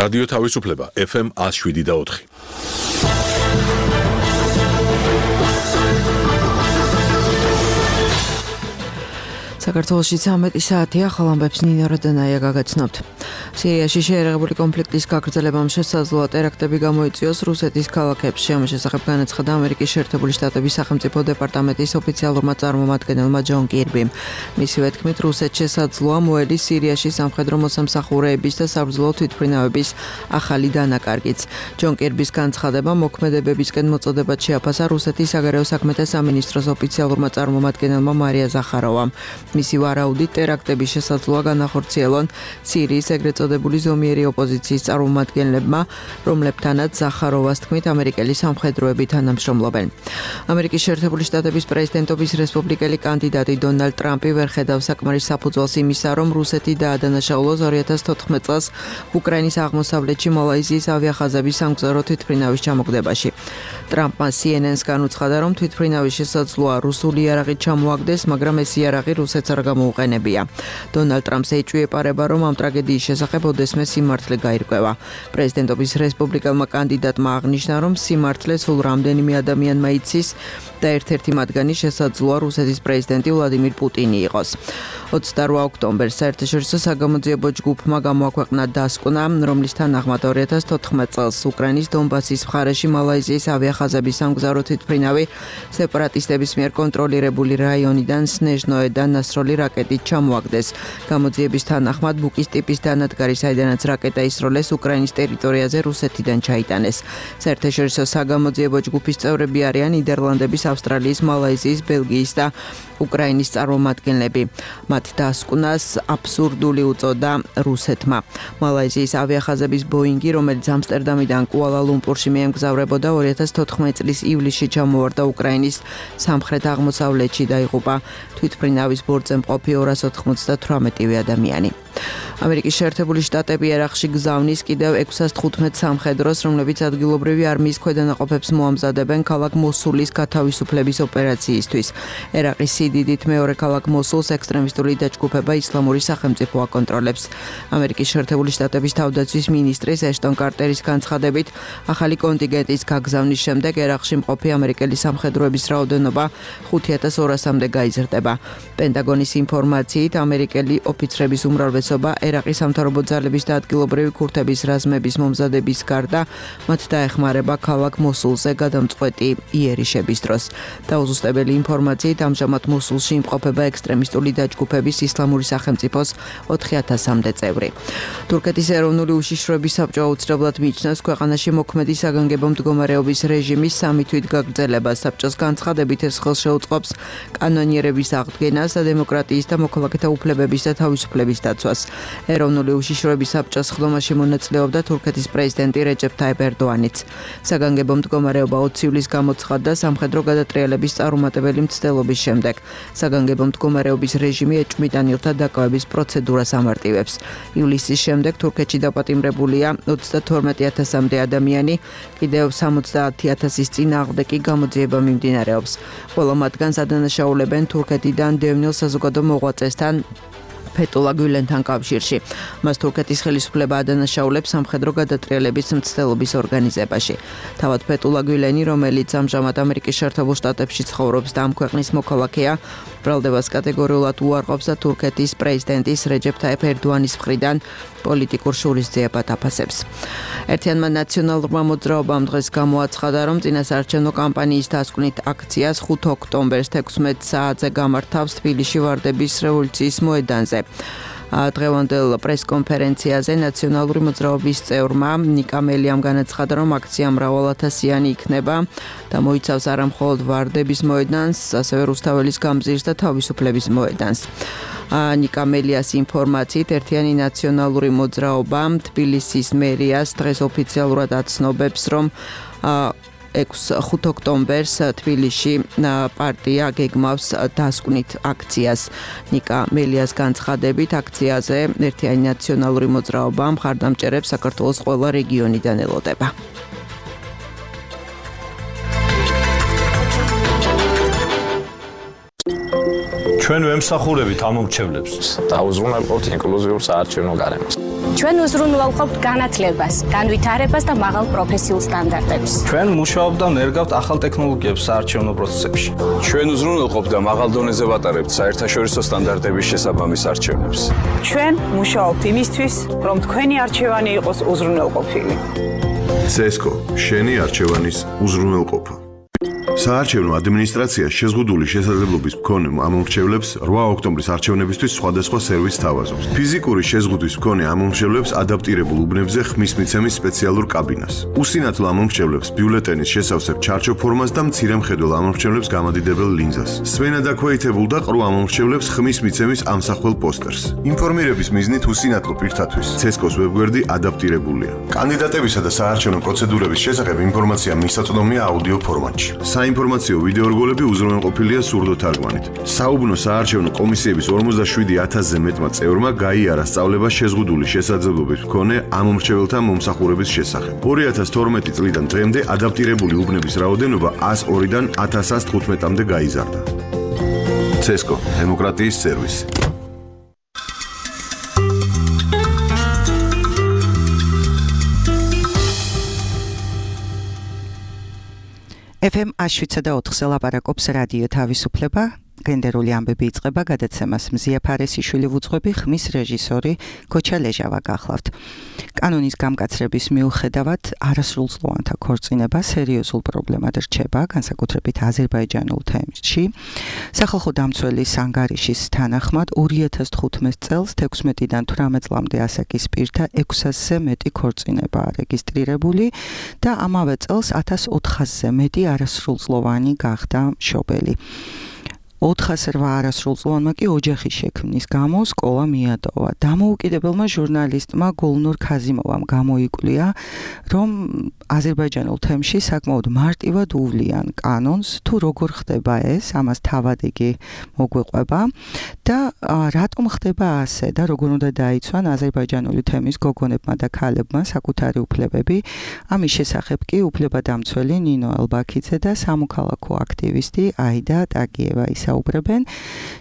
რადიო თავისუფლება FM 107.4. საქართველოში 13 საათია, ახალ ამბებს ნინო როდანაია გაგაცნობთ. სირიაში შეერაღებული კონფლიქტის გაგრძელებამ შესაძლოა ტერაქტები გამოიწვიოს რუსეთის ქალაქებში. ამის შესახებ განაცხადა ამერიკის შეერთებული შტატების სახელმწიფო დეპარტამენტის ოფიციალურმა წარმომადგენელმა ჯონ კირბიმ. მისივე თქმით, რუსეთს შესაძლოა მოელის სირიაში სამხედრო მოსამსახურეების და საბრძოლო თვითმფრინავების ახალი დანაკარგიც. ჯონ კირბის განცხადება მოქმედებებისკენ მოწოდებად შეაფასა რუსეთის საგარეო საქმეთა სამინისტროს ოფიციალურმა წარმომადგენელმა მარია ზახაროვამ. მისი ვარაუდით ტერაქტების შესაძლოა განახორციელონ სირიის ეგრეთ წოდებული ზომიერი ოპოზიციის წარმომადგენლებმა, რომლებთანაც ზახაროვას თქმით ამერიკელი სამხედროები თანამშრომლობენ. ამერიკის შეერთებული შტატების პრეზიდენტობის რესპუბლიკელი კანდიდატი დონალდ ტრამპი ვერ ხედავს საკმარის საფუძველს იმისა, რომ რუსეთი დაადანაშაულოს 2014 წელს უკრაინის აღმოსავლეთში მალაიზიის ავიახაზების სამგზავრო თვითმფრინავის ჩამოგდებაში. ტრამპმა CNN-ს განუცხადა, რომ თვითმფრინავის შესაძლოა რუსული იარაღით ჩამოაგდეს, მაგრამ ეს იარაღი რუსეთს არ გამოუყენებია. დონალდ ტრამპს ეჭვი-ეპარება, რომ ამ ტრაგედიის შესახებ ოდესმე სიმართლე გაირკვევა. პრეზიდენტობის რესპუბლიკელმა კანდიდატმა აღნიშნა, რომ სიმართლე სულ რამდენიმე ადამიანმა იცის და ერთ-ერთი მათგანი შესაძლოა რუსეთის პრეზიდენტი ვლადიმირ პუტინი იყოს. 28 ოქტომბერს საერთაშორისო საგამოძიებო ჯგუფმა გამოაქვეყნა დასკვნა, რომლის თანახმად 2014 წელს უკრაინის დონბასის მხარეში მალაიზიის ავიახაზების სამგზავრო თვითმფრინავი სეპარატისტების მიერ კონტროლირებული რაიონიდან სნეჟნოედან ნასროლი რაკეტით ჩამოაგდეს. გამოძიების თანახმად ბუკის ტიპის დანადგარი, საიდანაც რაკეტა ისროლეს უკრაინის ტერიტორიაზე რუსეთიდან ჩაიტანეს. საერთაშორისო საგამოძიებო ჯგუფის წევრები არიან ნიდერლანდების, ავსტრალიის, მალაიზიის, ბელგიის და უკრაინის წარმომადგენლები. მათ დასკვნას აბსურდული უწოდა რუსეთმა. მალაიზიის ავიახაზების ბოინგი, რომელიც ამსტერდამიდან კუალა-ლუმპურში მიემგზავრებოდა 2014 წლის ივლისში ჩამოვარდა უკრაინის სამხრეთ-აღმოსავლეთში და იღუპა თვითმფრინავის ბორცვზე მყოფი 298 ადამიანი. ამერიკის შეერთებული შტატები ერაყში გზავნის კიდევ 615 სამხედროს, რომლებიც ადგილობრივი არმიის ქვედანაყოფებს მოამზადებენ ქალაქ მოსულის გათავისუფლების ოპერაციისთვის. ერაყის სიდიდით მეორე ქალაქ მოსულს ექსტრემისტული დაჯგუფება ისლამური სახელმწიფო აკონტროლებს. ამერიკის შეერთებული შტატების თავდაცვის მინისტრის ეშტონ კარტერის განცხადებით, ახალი კონტინგენტის გაგზავნის შემდეგ ერაყში მყოფი ამერიკელი სამხედროების რაოდენობა 5200-მდე გაიზრდება. პენტაგონის ინფორმაციით, ამერიკელი ოფიცრების უმრავლესობა ერაყის სამთავრობო ძალების და ადგილობრივი ქურთების რაზმების მომზადების გარდა მათ დაეხმარება ქალაქ მოსულზე გადამწყვეტი იერიშების დროს. დაუზუსტებელი ინფორმაციით, ამჟამად მოსულში იმყოფება ექსტრემისტული დაჯგუფების ისლამური სახელმწიფოს 4000-მდე წევრი. თურქეთის ეროვნული უშიშროების საბჭო აუცილებლად მიიჩნევს ქვეყანაში მოქმედი საგანგებო მდგომარეობის რეჟიმის 3 თვით გაგრძელებას. საბჭოს განცხადებით ეს ხელს შეუწყობს კანონიერების აღდგენას და დემოკრატიის და მოქალაქეთა უფლებების და თავისუფლების დაცვას. ეროვნული უშიშროების საბჭოს ხდომაში მონაწილეობდა თურქეთის პრეზიდენტი რეჯეფ ტაიპ ერდოანიც. საგანგებო მდგომარეობა 20 ივლისს გამოცხადდა სამხედრო გადატრიალების წარუმატებელი მცდელობის შემდეგ. საგანგებო მდგომარეობის რეჟიმი ეჭვმიტანილთა დაკავების პროცედურას ამარტივებს. ივლისის შემდეგ თურქეთში დაპატიმრებულია 32000-მდე ადამიანი, კიდევ 70000-ის წინააღმდეგ კი გამოძიება მიმდინარეობს. ყველა მათგანს ადანაშაულებენ თურქეთიდან დევნილ საზოგადო მოღვაწესთან ფეტულა გულენთან კავშირში. მას თურქეთის ხელისუფლება ადანაშაულებს სამხედრო გადატრიალების მცდელობის ორგანიზებაში. თავად ფეტულა გულენი, რომელიც ამჟამად ამერიკის შეერთებულ შტატებში ცხოვრობს და ამ ქვეყნის მოქალაქეა, ბრალდებას კატეგორიულად უარყოფს და თურქეთის პრეზიდენტის რეჯეფ ტაიპ ერდოანის მხრიდან პოლიტიკურ შურისძიებად აფასებს. ერთიანმა ნაციონალურმა მოძრაობამ დღეს გამოაცხადა, რომ წინასაარჩევნო კამპანიის დასკვნით აქციას 5 ოქტომბერს 16 საათზე გამართავს თბილისში ვარდების რევოლუციის მოედანზე. დღევანდელ პრესკონფერენციაზე ნაციონალური მოძრაობის წევრმა ნიკა მელიამ განაცხადა, რომ აქცია მრავალათასიანი იქნება და მოიცავს არა მხოლოდ ვარდების მოედანს, ასევე რუსთაველის გამზირს და თავისუფლების მოედანს. ნიკა მელიას ინფორმაციით, ერთიანი ნაციონალური მოძრაობა თბილისის მერიას დღეს ოფიციალურად აცნობებს, რომ 5 ოქტომბერს თბილისში პარტია გეგმავს დასკვნით აქციას. ნიკა მელიას განცხადებით, აქციაზე ერთიანი ნაციონალური მოძრაობა მხარდამჭერებს საქართველოს ყველა რეგიონიდან ელოდება. ჩვენ ვემსახურებით ამ მომრჩევლებს. დაუზრუნველყოთ ინკლუზიურ საარჩევნო გარემოს. ჩვენ უზრუნველყოფთ განათლებას, განვითარებას და მაღალ პროფესიულ სტანდარტებს. ჩვენ მუშაობთ და ნერგავთ ახალ ტექნოლოგიებს საარჩევნო პროცესებში. ჩვენ უზრუნველყოფთ და მაღალ დონეზე ვატარებთ საერთაშორისო სტანდარტების შესაბამის არჩევნებს. ჩვენ მუშაობთ იმისთვის, რომ თქვენი არჩევანი იყოს უზრუნველყოფილი. CESCO, შენი არჩევანის უზრუნველყოფა. საარჩევნო ადმინისტრაცია შეზღუდული შესაძლებლობის მქონე ამომრჩევლებს 8 ოქტომბრის არჩევნებისთვის სხვადასხვა სერვისს თავაზობს. ფიზიკური შეზღუდვის მქონე ამომრჩევლებს ადაპტირებულ უბნებზე ხმის მიცემის სპეციალურ კაბინას. უსინათლო ამომრჩევლებს ბიულეტენის შესავსებ ჩარჩო ფორმას და მცირე მხედველ ამომრჩევლებს გამადიდებელ ლინზას. სვენა დაქვეითებულ და ყრუ ამომრჩევლებს ხმის მიცემის ამსახველ პოსტერს. ინფორმირების მიზნით უსინათლო პირთათვის CESCO-ს ვებგვერდი ადაპტირებულია. კანდიდატებისა და საარჩევნო პროცედურების შესახებ ინფორმაცია მისაწვდომია აუდიო ფორმატში. საინფორმაციო ვიდეო რგოლები უზრუნველყოფილია სურდო თარგმანით. საუბნო საარჩევნო კომისიების 47,000-ზე მეტმა წევრმა გაიარა სწავლება შეზღუდული შესაძლებლობის მქონე ამომრჩეველთა მომსახურების შესახებ. 2012 წლიდან დღემდე ადაპტირებული უბნების რაოდენობა 102-დან 1115-მდე გაიზარდა. CESCO, დემოკრატიის სერვისი. FM 104-ზე ლაპარაკობს რადიო თავისუფლება. გენდერული ამბები იწყება გადაცემას მზია ფარესიშვილი ვუძღვები, ხმის რეჟისორი გოჩა ლეჟავა გახლავთ. კანონის გამკაცრების მიუხედავად არასრულწლოვანთა ქორწინება სერიოზულ პრობლემად რჩება, განსაკუთრებით აზერბაიჯანულ თემში. სახალხო დამცველის ანგარიშის თანახმად 2015 წელს 16-დან 18 წლამდე ასაკის პირთა 600-ზე მეტი ქორწინებაა რეგისტრირებული და ამავე წელს 1400-ზე მეტი არასრულწლოვანი გახდა მშობელი. 408 არასრულწლოვანმა კი ოჯახის შექმნის გამო სკოლა მიატოვა. დამოუკიდებელმა ჟურნალისტმა გულნურ ქაზიმოვამ გამოიკვლია, რომ აზერბაიჯანულ თემში საკმაოდ მარტივად უვლიან კანონს, თუ როგორ ხდება ეს, ამას თავად იგი მოგვიყვება და რატომ ხდება ასე და როგორ უნდა დაიცვან აზერბაიჯანული თემის გოგონებმა და ქალებმა საკუთარი უფლებები. ამის შესახებ კი უფლებადამცველი ნინო ელბაქიძე და სამოქალაქო აქტივისტი აიდა ტაგიევა საუბრებენ.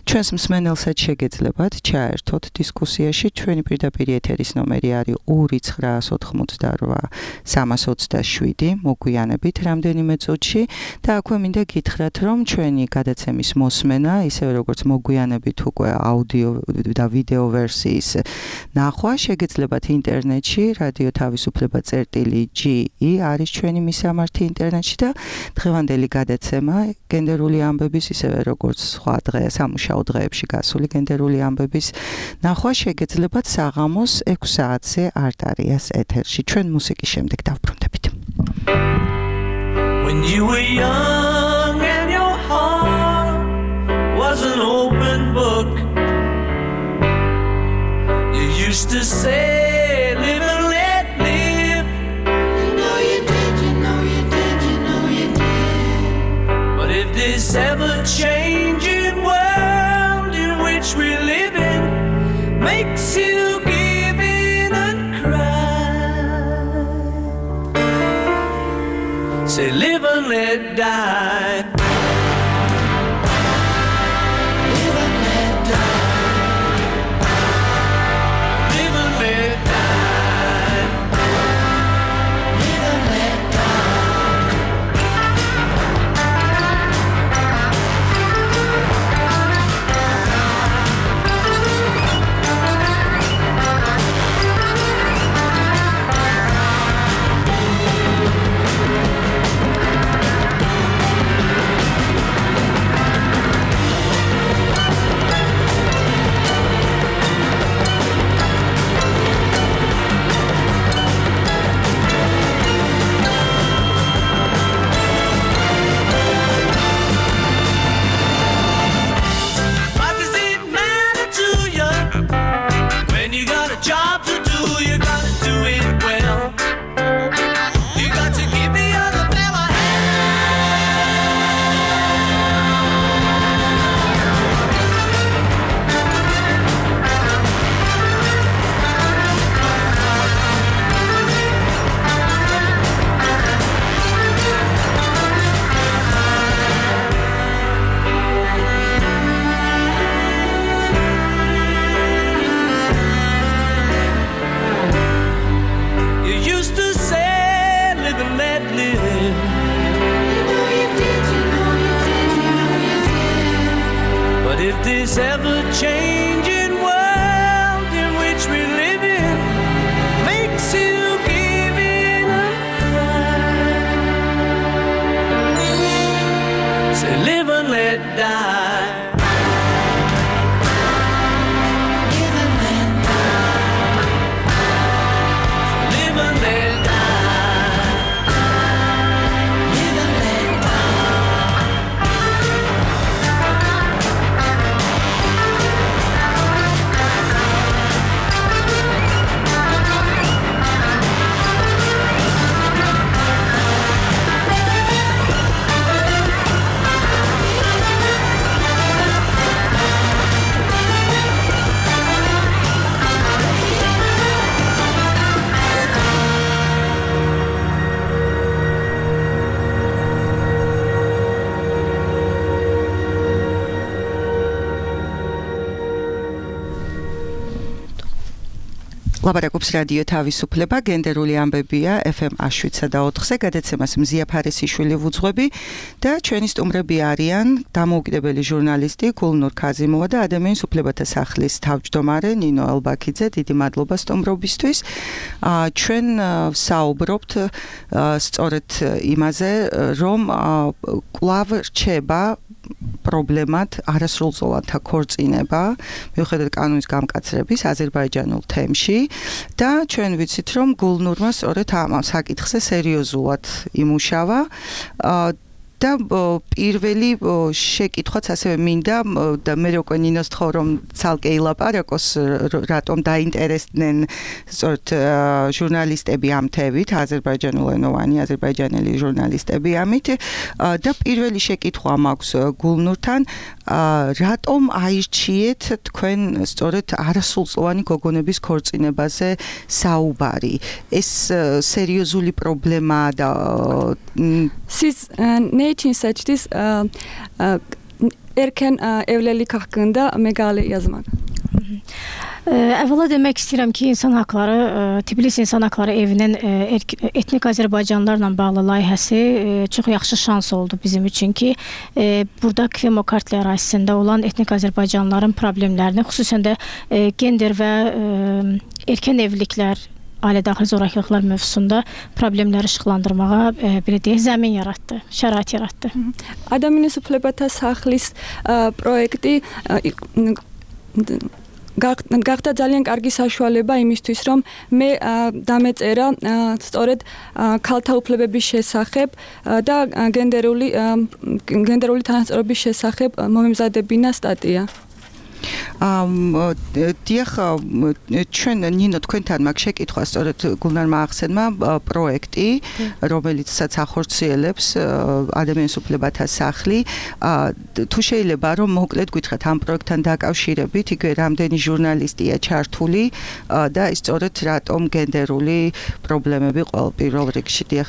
ჩვენს მსმენელსაც შეგეძლებათ ჩაერთოთ დისკუსიაში. ჩვენი პირდაპირ ეთერის ნომერი არის 2988 327. მოგვიანებით რამდენიმე წუთში და აქვე მინდა გითხრათ, რომ ჩვენი გადაცემის მოსმენა, ისევე როგორც მოგვიანებით უკვე აუდიო და ვიდეო ვერსიის ნახვა შეგეძლებათ ინტერნეტში რადიო თავისუფლება.ge არის ჩვენი მისამართი ინტერნეტში და დღევანდელი გადაცემა გენდერული ამბების ისევე როგორც სხვა დღე სამუშაო დღეებში გასული გენდერული ამბების ნახვა შეგეძლებათ საღამოს 6 საათზე არტარიას ეთერში. ჩვენ მუსიკის შემდეგ დავბრუნდებით. When you were young and your heart was an open book, you used to say live and let live. You know you did, you know you did, you know you did. But if this ever changing world in which we live in makes you give in and cry, say live and let die. Live and let die. Live and let die. Live and let die. this ever-changing world in which we live in makes you give in a cry. Say live and let die. ლაპარაკობს რადიო თავისუფლება, გენდერული ამბებია FM 7/4-ზე, გადაცემას მზია ფარესიშვილი ვუძღვები და ჩვენი სტუმრები არიან დამოუკიდებელი ჟურნალისტი გულნურ ქაზიმოვა და ადამიანის უფლებათა სახლის თავმჯდომარე ნინო ელბაქიძე. დიდი მადლობა სტუმრობისთვის. ჩვენ საუბრობთ სწორედ იმაზე, რომ კვლავ რჩება პრობლემად არასრულწლოვანთა ქორწინება მიუხედავად კანონის გამკაცრების აზერბაიჯანულ თემში და ჩვენ ვიცით რომ გულნურმა სწორედ ამ საკითხზე სერიოზულად იმუშავა და პირველი შეკითხვაც ასევე მინდა და მე უკვე ნინოს თხოვ რომ ცალკე ილაპარაკოს რატომ დაინტერესდნენ სწორედ ჟურნალისტები ამ თემით აზერბაიჯანულენოვანი აზერბაიჯანელი ჟურნალისტები ამით და პირველი შეკითხვა მაქვს გულნურთან რატომ აირჩიეთ თქვენ სწორედ არასრულწლოვანი გოგონების ქორწინებაზე საუბარი ეს სერიოზული პრობლემაა და Nation such this erken evlilik hakkında megale yazmak. Əvvəla demək istəyirəm ki, insan haqları, Tbilisi İnsan Haqları Evinin etnik Azərbaycanlılarla bağlı layihəsi çox yaxşı şans oldu bizim üçün ki, burada Kvemo Kartli ərazisində olan etnik Azərbaycanlıların problemlərini, xüsusən də gender və erkən evliliklər, ailə-daxili zorakılıqlar mövzusunda problemləri işıqlandırmağa belə deyək, zəmin yaratdı, şərait yaratdı. Ადამიანის უფლებათა სახლის პროექტი გახდა ძალიან კარგი საშუალება იმისთვის, რომ მე დამეწერა სწორედ ქალთა უფლებების შესახებ და გენდერული თანასწორობის შესახებ მომემზადებინა სტატია. დიახ, ჩვენ ნინო თქვენთან მაგ შეკითხვა სწორედ გულნარმა ახსენმა პროექტი, რომელიცაც ახორციელებს ადამიანის უფლებათა სახლი. თუ შეიძლება რომ მოკლედ გითხრათ ამ პროექტთან დაკავშირებით, იგივე რამდენი ჟურნალისტია ჩართული და ის სწორედ რატომ გენდერული პრობლემები პირველ რიგში. დიახ.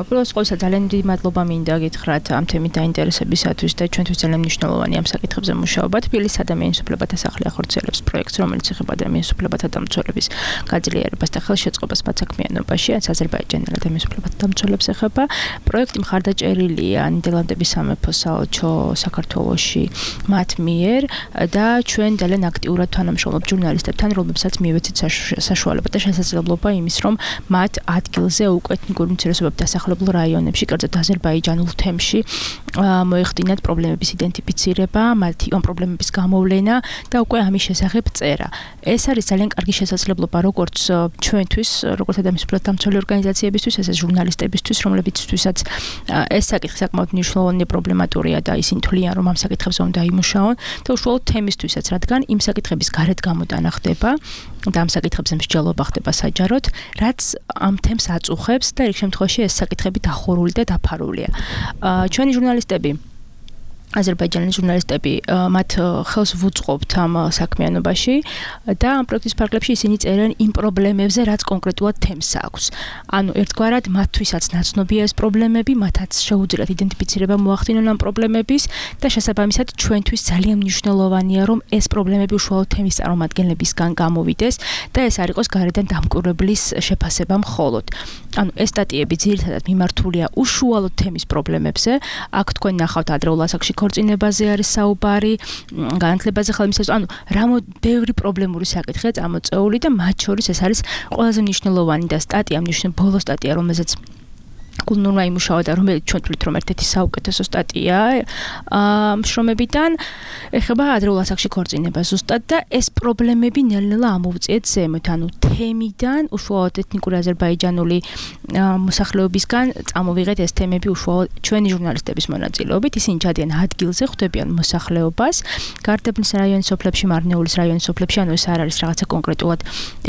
უბრალოდ ყოველსა ძალიან დიდი მადლობა მინდა გითხრათ ამ თემით დაინტერესებისათვის და ჩვენთვის ძალიან მნიშვნელოვანი ამ საკითხებზე მუშაობა. თბილისის ადამიანის უფლებათა სახლი ახორციელებს პროექტს, რომელიც ეხება ადამიანის უფლებათა დამცველების გაძლიერებას და ხელშეწყობას მათ საქმიანობაში, რაც აზერბაიჯანელ ადამიანის უფლებათა დამცველებს ეხება. პროექტი მხარდაჭერილია ნიდერლანდების სამეფო საელჩო საქართველოში მათ მიერ და ჩვენ ძალიან აქტიურად თანამშრომლობთ ჟურნალისტებთან, რომლებსაც მივეცით საშუალება და შესაძლებლობა იმის, რომ მათ ადგილზე უკვე ეთნიკური უმცირესობების დასახლებულ რაიონებში, კერძოდ აზერბაიჯანულ თემში მოეხდინათ პრობლემების იდენტიფიცირება, მათი ამ პრობლემების გამოვლენა და უკვე ამის შესახებ წერა. ეს არის ძალიან კარგი შესაძლებლობა როგორც ჩვენთვის, როგორც ადამიანის უფლებათა დამცველი ორგანიზაციებისთვის, ესეც ჟურნალისტებისთვის, რომლებიცთვისაც ეს საკითხი საკმაოდ მნიშვნელოვანი პრობლემატურია და ისინი თვლიან, რომ ამ საკითხებზე უნდა იმუშაონ და უშუალოდ თემისთვისაც, რადგან იმ საკითხების გარეთ გამოტანა ხდება და ამ საკითხებზე მსჯელობა ხდება საჯაროდ, რაც ამ თემს აწუხებს და ერთ შემთხვევაში ეს საკითხები დახურული და დაფარულია. ჩვენი ჟურნალისტები აზერბაიჯანელი ჟურნალისტები მათ ხელს ვუწყობთ ამ საქმიანობაში და ამ პროექტის ფარგლებში ისინი წერენ იმ პრობლემებზე, რაც კონკრეტულად თემს აქვს. ანუ ერთგვარად მათთვისაც ნაცნობია ეს პრობლემები, მათაც შეუძლიათ იდენტიფიცირება მოახდინონ ამ პრობლემების და შესაბამისად ჩვენთვის ძალიან მნიშვნელოვანია, რომ ეს პრობლემები უშუალოდ თემის წარმომადგენლებისგან გამოვიდეს და ეს არ იყოს გარედან დამკვირვებლის შეფასება მხოლოდ. ანუ ეს სტატიები ძირითადად მიმართულია უშუალოდ თემის პრობლემებზე. აქ თქვენ ნახავთ ადრეულ ასაკში ქორწინებაზე არის საუბარი, განათლებაზე ხალხის, ანუ ბევრი პრობლემური საკითხია წამოწეული და მათ შორის ეს არის ყველაზე მნიშვნელოვანი და ბოლო სტატია, რომელზეც გულნურმა იმუშავა და რომელიც ჩვენ თვლით რომ ერთ-ერთი საუკეთესო სტატია შრომებიდან ეხება ადრეულ ასაკში ქორწინებას ზუსტად და ეს პრობლემები ნელ-ნელა ამოვწიეთ ზემოთ, ანუ თემიდან უშუალოდ ეთნიკური აზერბაიჯანული მოსახლეობისგან წამოვიღეთ ეს თემები უშუალოდ ჩვენი ჟურნალისტების მონაწილეობით, ისინი ჩადიან ადგილზე, ხვდებიან მოსახლეობას, გარდაბნის რაიონის სოფლებში, მარნეულის რაიონის სოფლებში, ანუ ეს არ არის რაღაცა კონკრეტულად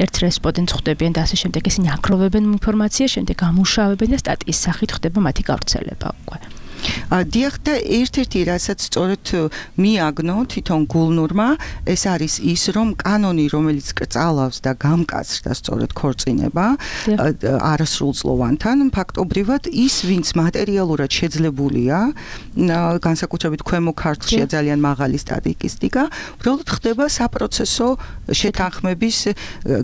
ერთ რესპონდენტს ხვდებიან და ასე შემდეგ, ისინი აკროვებენ ინფორმაციას, შემდეგ ამუშავებენ და სტატიის სახით ხდება მათი გავრცელება უკვე. დიახ და ერთ-ერთი რასაც სწორედ მიაგნო თვითონ გულნურმა ეს არის ის რომ კანონი რომელიც კწალავს და გამკაცრდა სწორედ ქორწინება არასრულწლოვანთან ფაქტობრივად ის ვინც მატერიალურად შეძლებულია განსაკუთრებით ქვემო ქართლშია ძალიან მაღალი სტატისტიკა უბრალოდ ხდება საპროცესო შეთანხმების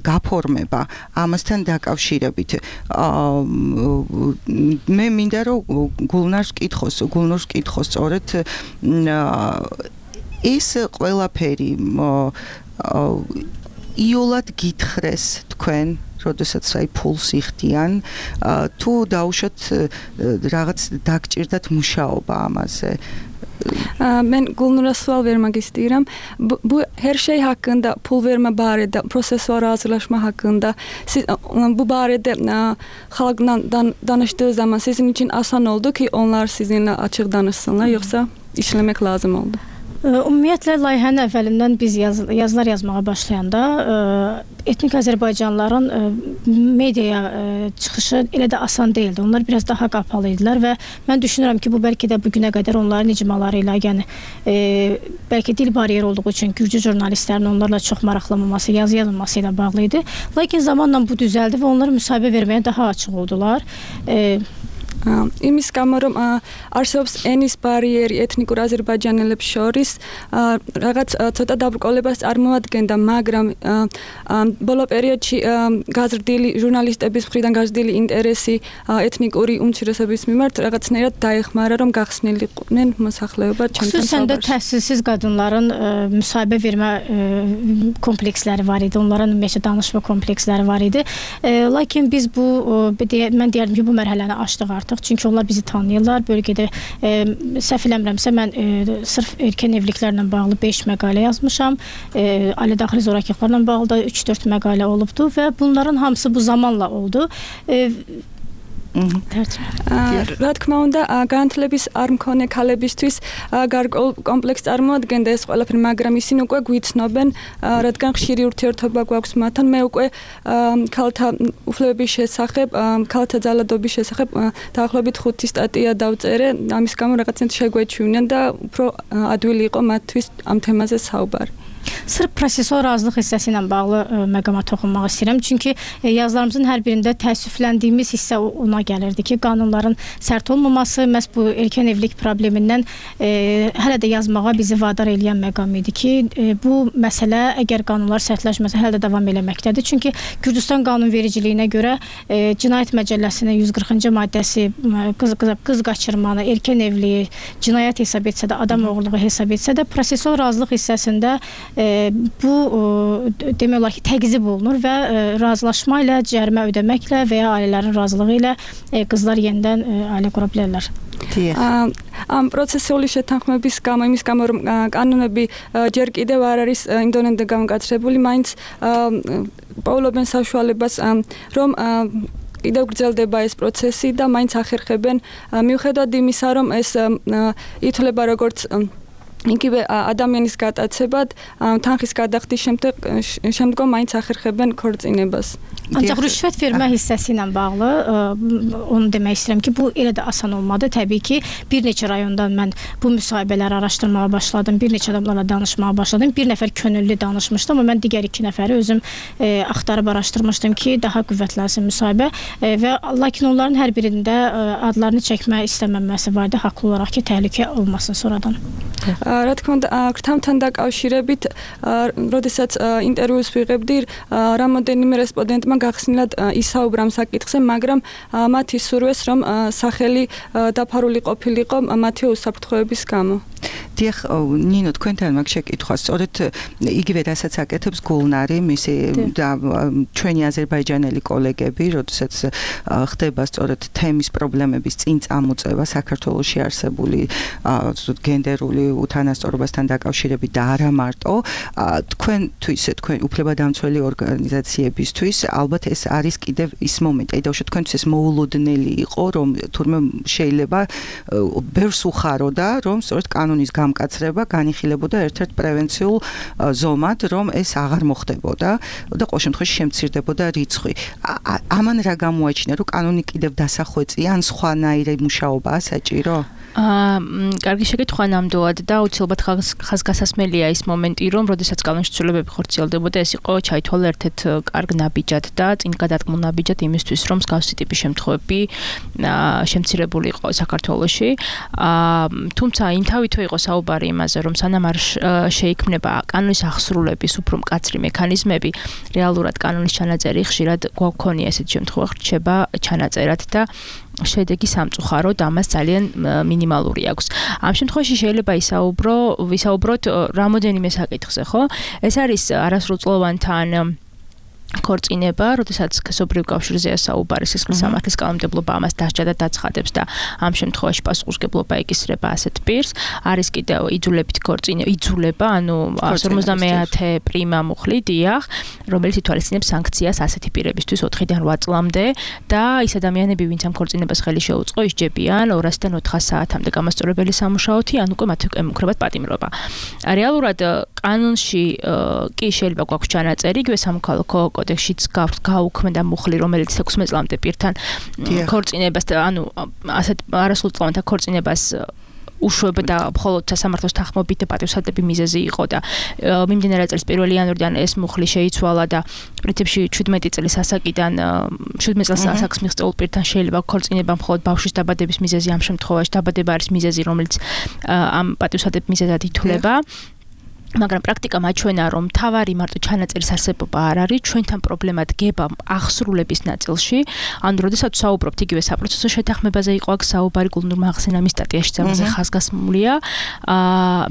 გაფორმება ამასთან დაკავშირებით მე მინდა რომ გულნურს კითხოს სწორედ ეს ყველაფერი იოლად გითხრეს თქვენ როდესაც აი ფულს იხდიან თუ დაუშვათ რაღაც დაგჭირდათ მუშაობა ამაზე Men Gulnur'a sual vermek istiyorum. Bu her şey hakkında pul verme barədə, prosessual razılaşma hakkında siz bu barədə xalqla danışdığı zaman sizin için asan oldu ki onlar sizinle açıq danışsınlar yoksa işlemek lazım oldu? Ümumiyyətlə layihənin əvvəlindən biz yazılar yazmağa başlayanda etnik Azərbaycanlıların mediaya çıxışı elə də asan deyildi. Onlar biraz daha qapalı idilər və mən düşünürəm ki, bu bəlkə də bugünə qədər onların icmaları ilə, yəni bəlkə dil bariyeri olduğu üçün gürcü jurnalistlərin onlarla çox maraqlanmaması, yazı yazılması ilə bağlı idi. Lakin zamanla bu düzəldi və onlar müsahibə verməyə daha açıq oldular. იმის გამო რომ არსებობს ენის ბარიერი ეთნიკურ აზერბაიჯანელებს შორის რაღაც ცოტა დაბრკოლებას წარმოადგენდა, მაგრამ ბოლო პერიოდში გაზრდილი ჟურნალისტების მხრიდან გაზრდილი ინტერესი ეთნიკური უმცირესობის მიმართ რაღაცნაირად დაეხმარა, რომ გახსნილიყვნენ მოსახლეობა ჩემთან xüsusən də təhsilsiz qadınların müsahibə vermə kompleksləri var idi, onların ümumiyyətlə danışma kompleksləri var idi. Lakin biz bu mən deyərdim ki, bu mərhələni aşdıq artıq. Çünki onlar bizi tanıyırlar. Bölgədə səhv eləmirəmsə mən sırf erkən evliliklərlə bağlı 5 məqalə yazmışam. Ailə daxili zorakılıqlarla bağlı da 3-4 məqalə olubdu və bunların hamısı bu zamanla oldu. რა თქმა უნდა, განათლების არ მქონე ქალებისთვის გარკვეულ კომპლექსს წარმოადგენდა ეს ყველაფერი, მაგრამ ისინი უკვე გვიცნობენ, რადგან ხშირი ურთიერთობა გვაქვს მათთან. მე უკვე ქალთა უფლებების შესახებ, ქალთა ძალადობის შესახებ დაახლოებით 5 სტატია დავწერე, ამის გამო რაღაცნაირად შეგვეჩვენენ და უფრო ადვილი იყო მათთვის ამ თემაზე საუბარი. Sırf prosessual razılıq hissəsi ilə bağlı məqama toxunmaq istəyirəm. Çünki yazılarımızın hər birində təəssüfləndiyimiz hissə ona gəlirdi ki, qanunların sərt olmaması məhz bu erkən evlilik problemindən hələ də yazmağa bizi vadar edən məqam idi ki, bu məsələ əgər qanunlar sərtləşməsə hələ də davam eləməkdədir. Çünki Gürcüstan qanunvericiliyinə görə Cinayət Məcəlləsinin 140-cı maddəsi qız qaçırmanı, erkən evliliyi cinayət hesab etsə də, adam oğurluğu hesab etsə də, prosessual razılıq hissəsində bu demək olar ki, təqzib olunur və razılaşma ilə, cərimə ödəməklə və ya ailələrin razılığı ilə qızlar yenidən ailə qura bilərlər. ამ პროცესული შეთანხმების გამო, იმის გამო რომ კანონები ჯერ კიდევ არ არის იმ დონემდე გამოკაცრებული, მაინც პოულობენ საშუალებას რომ კიდევ გრძელდება ეს პროცესი და მაინც ახერხებენ მიუხედავად იმისა, რომ ეს ითვლება როგორც იგივე ადამიანის გატაცებად, თანხის გადახდის შემდგომ მაინც ახერხებენ ქორწინებას. Ancaq rüşvət vermə hissəsi ilə bağlı onu demək istəyirəm ki, bu elə də asan olmadı. Təbii ki, bir neçə rayondan mən bu müsahibələri araşdırmağa başladım, bir neçə adamlarla danışmağa başladım. Bir nəfər könüllü danışmışdım, amma mən digər 2 nəfəri özüm axtarıb araşdırmışdım ki, daha qüvvətlənsin müsahibə və lakin onların hər birində adlarını çəkmək istəməməsi vardı, haqlı olaraq ki, təhlükə olmasın sonradan. რა თქმა უნდა, ქრთამთან დაკავშირებით, როდესაც ინტერვიუს ვიღებდი, რამოდენიმე რესპონდენტმა გახსნილად ისაუბრა ამ საკითხზე, მაგრამ მათი სურვეს, რომ სახელი დაფარული ყოფილიყო მათი უსაფრთხოების გამო. დიახ, ნინო, თქვენთან მაგ შეკითხვა, სწორედ იგივე რასაც აკეთებს გულნარი, მისი და ჩვენი აზერბაიჯანელი კოლეგები, როდესაც ხდება სწორედ თემის პრობლემების წინ წამოწევა საქართველოში არსებული გენდერული უთანასწორობასთან დაკავშირებით და არა მარტო, თქვენ უფლებადამცველი ორგანიზაციებისთვის ალბათ ეს არის კიდევ ის მომენტი, აი დავუშვათ თქვენთვის ეს მოულოდნელი იყო, რომ თურმე შეიძლება ბევრს უხაროდა, რომ სწორედ კანონის გამკაცრება განიხილებოდა ერთ-ერთ პრევენციულ ზომად, რომ ეს აღარ მოხდებოდა და ყოველ შემთხვევაში შემცირდებოდა რიცხვი. ამან რა გამოაჩინა, რომ კანონი კიდევ დასახვეწია, ან სხვანაირი მუშაობაა საჭირო? კარგი შეკითხვა ნამდვილად და აუცილებლად ხაზგასასმელია ის მომენტი, რომ როდესაც კანონის ცვლილებები ხორციელდებოდა, ეს იყო ჩაითვალა ერთ-ერთ კარგ ნაბიჯად და წინ გადადგმულ ნაბიჯად იმისთვის, რომ მსგავსი ტიპის შემთხვევები შემცირებული იყო საქართველოში. თუმცა იმთავითვე იყო საუბარი იმაზე, რომ სანამ არ შეიქმნება კანონის აღსრულების უფრო მკაცრი მექანიზმები, რეალურად კანონის ჩანაწერი ხშირად გვაქვს ესეთ შემთხვევა რჩება ჩანაწერად და შედეგი სამწუხაროდ ამას ძალიან მინიმალური აქვს. ამ შემთხვევაში შეიძლება ვისაუბროთ რამოდენიმე საკითხზე, ხო? ეს არის არასრულწლოვანთან ქორწინება, როდესაც სქესობრივ კავშირზეა საუბარი, სისხლის სამართლის კანონმდებლობა ამას დასჯა და დაცხადებს და ამ შემთხვევაში პასუხისმგებლობა ეკისრება ასეთ პირს. არის კიდევ იძულება, ანუ 150 პრიმა მუხლი, დიახ, რომელიც ითვალისწინებს სანქციას ასეთი პირებისთვის 4-დან 8 წლამდე და ის ადამიანები, ვინც ამ ქორწინებას ხელი შეუწყო, ისჯებიან 200-დან 400 საათამდე გამასწორებელი სამუშაოთი, ან უკვე მათ ემუქრებათ პატიმრობა. რეალურად კანონში კი შეიძლება გვაქვს ჩანაწერი, იგივე სამოქალაქო კოდექსშიც გაუქმდა მუხლი, რომელიც 16 წლამდე პირთან ქორწინებას, ანუ ასეთ არასრულწლოვანთა ქორწინებას უშვებდა მხოლოდ სასამართლოს თანხმობით და პატივსაცემი მიზეზი იყო და მიმდინარე წლის 1 იანვრიდან ეს მუხლი შეიცვალა და პრინციპში 17 წლის ასაკიდან 17 წელს ასაკს მიღწეულ პირთან შეიძლება ქორწინება მხოლოდ ბავშვის დაბადების მიზეზი, ამ შემთხვევაში დაბადება არის მიზეზი, რომელიც ამ პატივსაცემ მიზეზად ითვლება. მაგრამ პრაქტიკა მაჩვენა, რომ თავარი მარტო ჩანაწერის არსებობა არ არის, ჩვენთან პრობლემა დგება აღსრულების ნაწილში. ანუ როდესაც საუბრობთ იგივე საპროცესო შეთანხმებაზე იყო აქ საუბარი, გულნურმა ახსენა მის სტატიაში ამაზე ხაზგასმულია.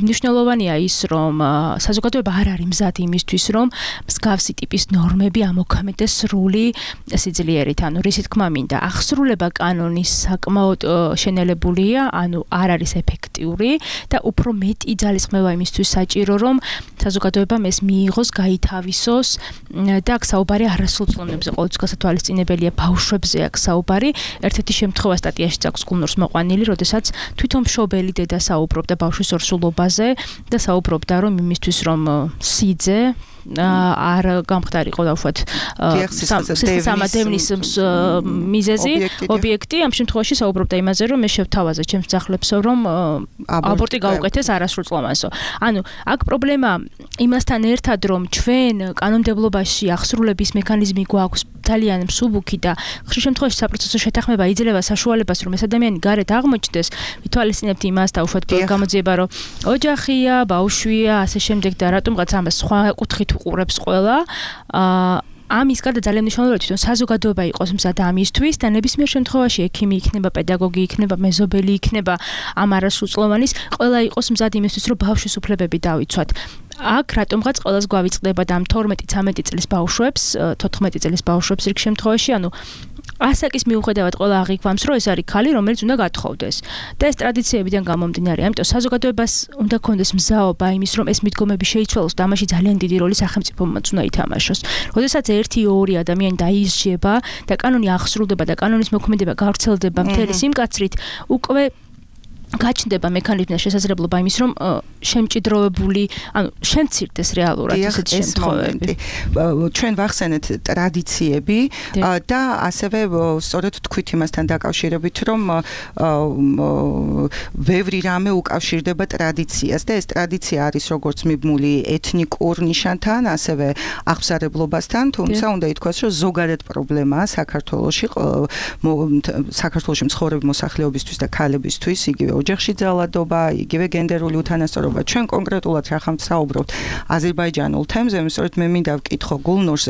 მნიშვნელოვანია ის, რომ საზოგადოება არ არის მზად იმისთვის, რომ მსგავსი ტიპის ნორმები ამოქმედდეს სრული სიძლიერით. ანუ რისი თქმა მინდა, აღსრულება კანონის საკმაოდ შენელებულია, ანუ არ არის ეფექტიური და უფრო მეტი ძალისხმევა იმისთვის საჭირო, რომ საზოგადოებამ ეს მიიღოს, გაითავისოს და აქ საუბარი არასრულწლოვნებზე, ყოველთვის გასათვალისწინებელია ბავშვებზე აქ საუბარი. ერთ-ერთი შემთხვევა სტატიაში აქვს გულნურს მოყვანილი, როდესაც თვითონ მშობელი დედა საუბრობდა ბავშვის ორსულობაზე და საუბრობდა, რომ იმისთვის, რომ სიძე არ გამხდარიყო დავუშვათ სამადევნის მიზეზი, ობიექტი, ამ შემთხვევაში საუბრობდა იმაზე, რომ მე შევთავაზე ჩემს ძაღლებსო, რომ აბორტი გაუკეთეს არასრულწლოვანსო. ანუ აქ პრობლემა იმასთან ერთად, რომ ჩვენ კანონმდებლობაში აღსრულების მექანიზმი გვაქვს ძალიან მსუბუქი და ხშირ შემთხვევაში საპროცესო შეთანხმება იძლევა საშუალებას, რომ ეს ადამიანი გარეთ აღმოჩნდეს, ვითვალისწინებთ იმას დავუშვათ გამოძიება, რომ ოჯახია, ბავშვია, ასე შემდეგ და რატომღაც ამას სხვა კუთხით უყურებს ყველა. ამის გარდა ძალიან მნიშვნელოვანია თვითონ საზოგადოება იყოს მზად ამისთვის და ნებისმიერ შემთხვევაში ექიმი იქნება, პედაგოგი იქნება, მეზობელი იქნება, ამ არასრულწლოვანის ყველა იყოს მზად იმისთვის, რომ ბავშვის უფლებები დავიცვათ. აქ რატომღაც ყველას გვავიწყდება და ამ 12-13 წლის ბავშვებს, 14 წლის ბავშვებს რიგ შემთხვევაში, ანუ ასაკის მიუხედავად ყველა აღიქვამს, რომ ეს არის ქალი, რომელიც უნდა გათხოვდეს. და ეს ტრადიციებიდან გამომდინარე, ამიტომ საზოგადოებას უნდა ქონდეს მზაობა იმის, რომ ეს მიდგომები შეიცვალოს და ამაში ძალიან დიდი როლი სახელმწიფომაც უნდა ითამაშოს. როდესაც 1-2 ადამიანი დაიზრდება და კანონი აღსრულდება და კანონის მოქმედება გავრცელდება მთელი სიმკაცრით, უკვე გაჩნდება მექანიზმი და შესაძლებლობა იმის, რომ შემჭიდროვებული, ანუ შემცირდეს რეალურად ესეთი შემთხვევები. ჩვენ ვახსენეთ ტრადიციები და ასევე სწორედ თქვით იმასთან დაკავშირებით, რომ ბევრი რამე უკავშირდება ტრადიციას და ეს ტრადიცია არის როგორც მიბმული ეთნიკურ ნიშანთან, ასევე აღსარებლობასთან, თუმცა უნდა ითქვას, რომ ზოგადად პრობლემაა საქართველოში, საქართველოში მცხოვრები მოსახლეობისთვის და ქალებისთვის, იგივე ოჯახში ძალადობა, იგივე გენდერული უთანასწორობა. ჩვენ კონკრეტულად რახან ვსაუბრობთ აზერბაიჯანულ თემზე, სწორედ მე მინდა ვკითხო გულნურს,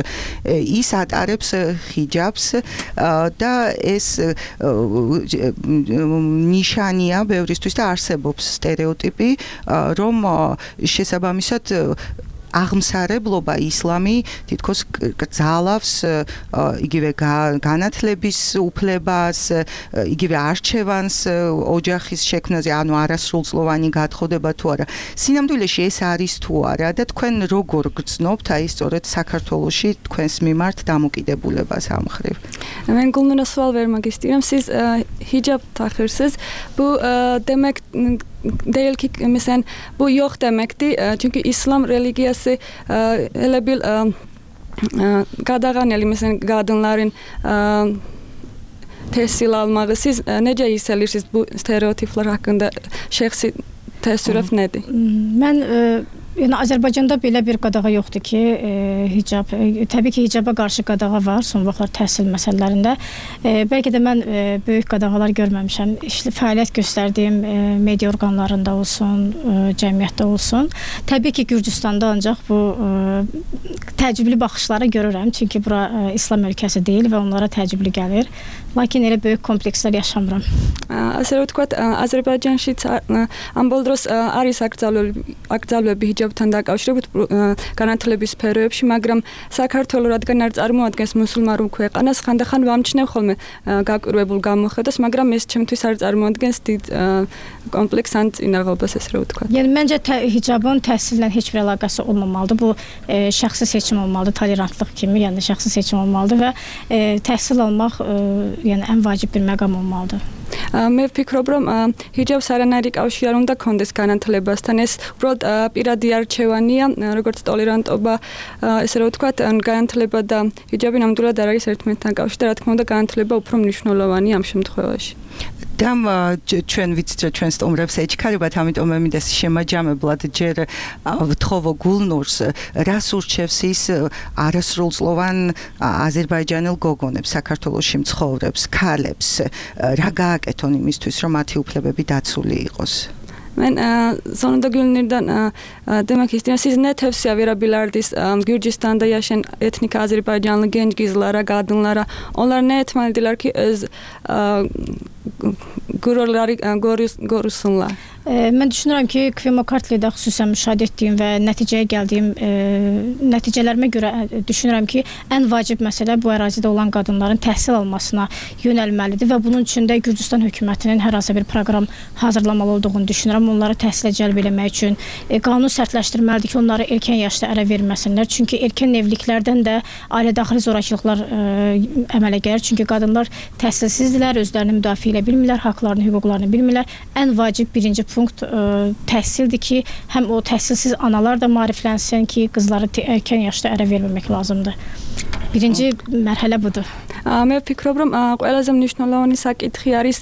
ის ატარებს ხიჯაბს და ეს ნიშანია ბევრისთვის და არსებობს სტერეოტიპი, რომ შესაბამისად აღმსარებლობა ისლამი თითქოს გძალავს იგივე განათლების უფლებას, იგივე არჩევანს ოჯახის შექმნაზე, ანუ არასრულწლოვანი გათხოვდება თუ არა. სინამდვილეში ეს არის თუ არა და თქვენ როგორ გრძნობთ აი სწორედ საქართველოში თქვენს მიმართ დამოკიდებულებას ამ მხრივ? من قلنا سوال ver magistram siz hicab taxırsınız. Bu demek değil ki mesela bu yok demekti. Çünkü İslam religiyası elə bil qadağaneli mesela qadınların təhsil almağı. Siz necə hiss edirsiniz bu stereotiplər haqqında? Şəxsi təəssürat nədir? Mən yəni Azərbaycanda belə bir qadağa yoxdur ki, hicab. Təbii ki, hicaba qarşı qadağa var son vaxtlar təhsil məsələlərində. Bəlkə də mən böyük qadağalar görməmişəm. Fəaliyyət göstərdiyim media orqanlarında olsun, cəmiyyətdə olsun. Təbii ki, Gürcüstanda ancaq bu təəccüblü baxışları görürəm. Çünki bura İslam ölkəsi deyil və onlara təəccüblü gəlir. Lakin elə böyük komplekslər yaşamıram. ასე რომ ვთქვათ, აზერბაიჯანშიც ამ ბოლო დროს არის აკრძალვები ჰიჯაბთან დაკავშირებით განათლების სფეროებში, მაგრამ საქართველოს რადგან არ წარმოადგენს მუსულმანურ ქვეყანას, ხანდახან ვამჩნევ ხოლმე გაკვირვებულ გამოხედას, მაგრამ ეს ჩემთვის არ წარმოადგენს დიდ კომპლექს ან წინაღობას, ესე რომ ვთქვათ. Yəni məncə hicabın təhsillə heç bir əlaqəsi olmamalıdır. Bu şəxsi seçim olmalıdır, tolerantlıq kimi, yəni şəxsi seçim olmalıdır və təhsil almaq yəni ən vacib bir məqam olmalıdır. მე ვფიქრობ, რომ ჰიჯაბს არანაირი კავშირი არ უნდა კონდეს განათლებასთან. ეს უბრალოდ პირადი არჩევანია, როგორც ტოლერანტობა, ესე რომ ვთქვათ, განათლება და ჰიჯაბი ნამდვილად არ არის ერთმანეთთან კავშირი და რა თქმა უნდა განათლება უფრო მნიშვნელოვანია ამ შემთხვევაში. და ჩვენ ვიცით რომ ჩვენ სტუმრებს ეჩქარებათ, ამიტომ მე მინდა შემაჯამებლად ჯერ ვთხოვო გულნურს, რას ურჩევს ის არასრულწლოვან აზერბაიჯანელ გოგონებს, საქართველოში მცხოვრებს, ქალებს, რა გააკეთონ იმისთვის, რომ მათი უფლებები დაცული იყოს? Mən sonunda Gülnurdan demək istəyirəm, siz nə tövsiyə verə bilərdiniz Gürcüstanda yaşayan etnik Azərbaycanlı gənc qızlara, qadınlara? Onlar nə etməlidirlər ki, öz qürurları qorusunlar? Mən düşünürəm ki, Kvemokartlidə xüsusən müşahidə etdiyim və nəticəyə gəldiyim nəticələrimə görə düşünürəm ki, ən vacib məsələ bu ərazidə olan qadınların təhsil almasına yönəlməlidir və bunun üçün də Gürcüstan hökumətinin hər hansı bir proqram hazırlamalı olduğunu düşünürəm. Onları təhsilə cəlb etmək üçün qanun sərtləşdirməlidir ki, onları erkən yaşda ərə verməsinlər. Çünki erkən evliliklərdən də ailədaxili zorakılıqlar əmələ gəlir. Çünki qadınlar təhsilsizdirlər, özlərini müdafiə edə bilmirlər, haqlarını, hüquqlarını bilmirlər. Ən vacib birinci punkt təhsildir ki, həm o təhsilsiz analar da maariflənsin ki, qızları erkən yaşda ərə verməmək lazımdır. Birinci mərhələ budur. მე ვფიქრობ, რომ ყველაზე მნიშვნელოვანი საკითხი არის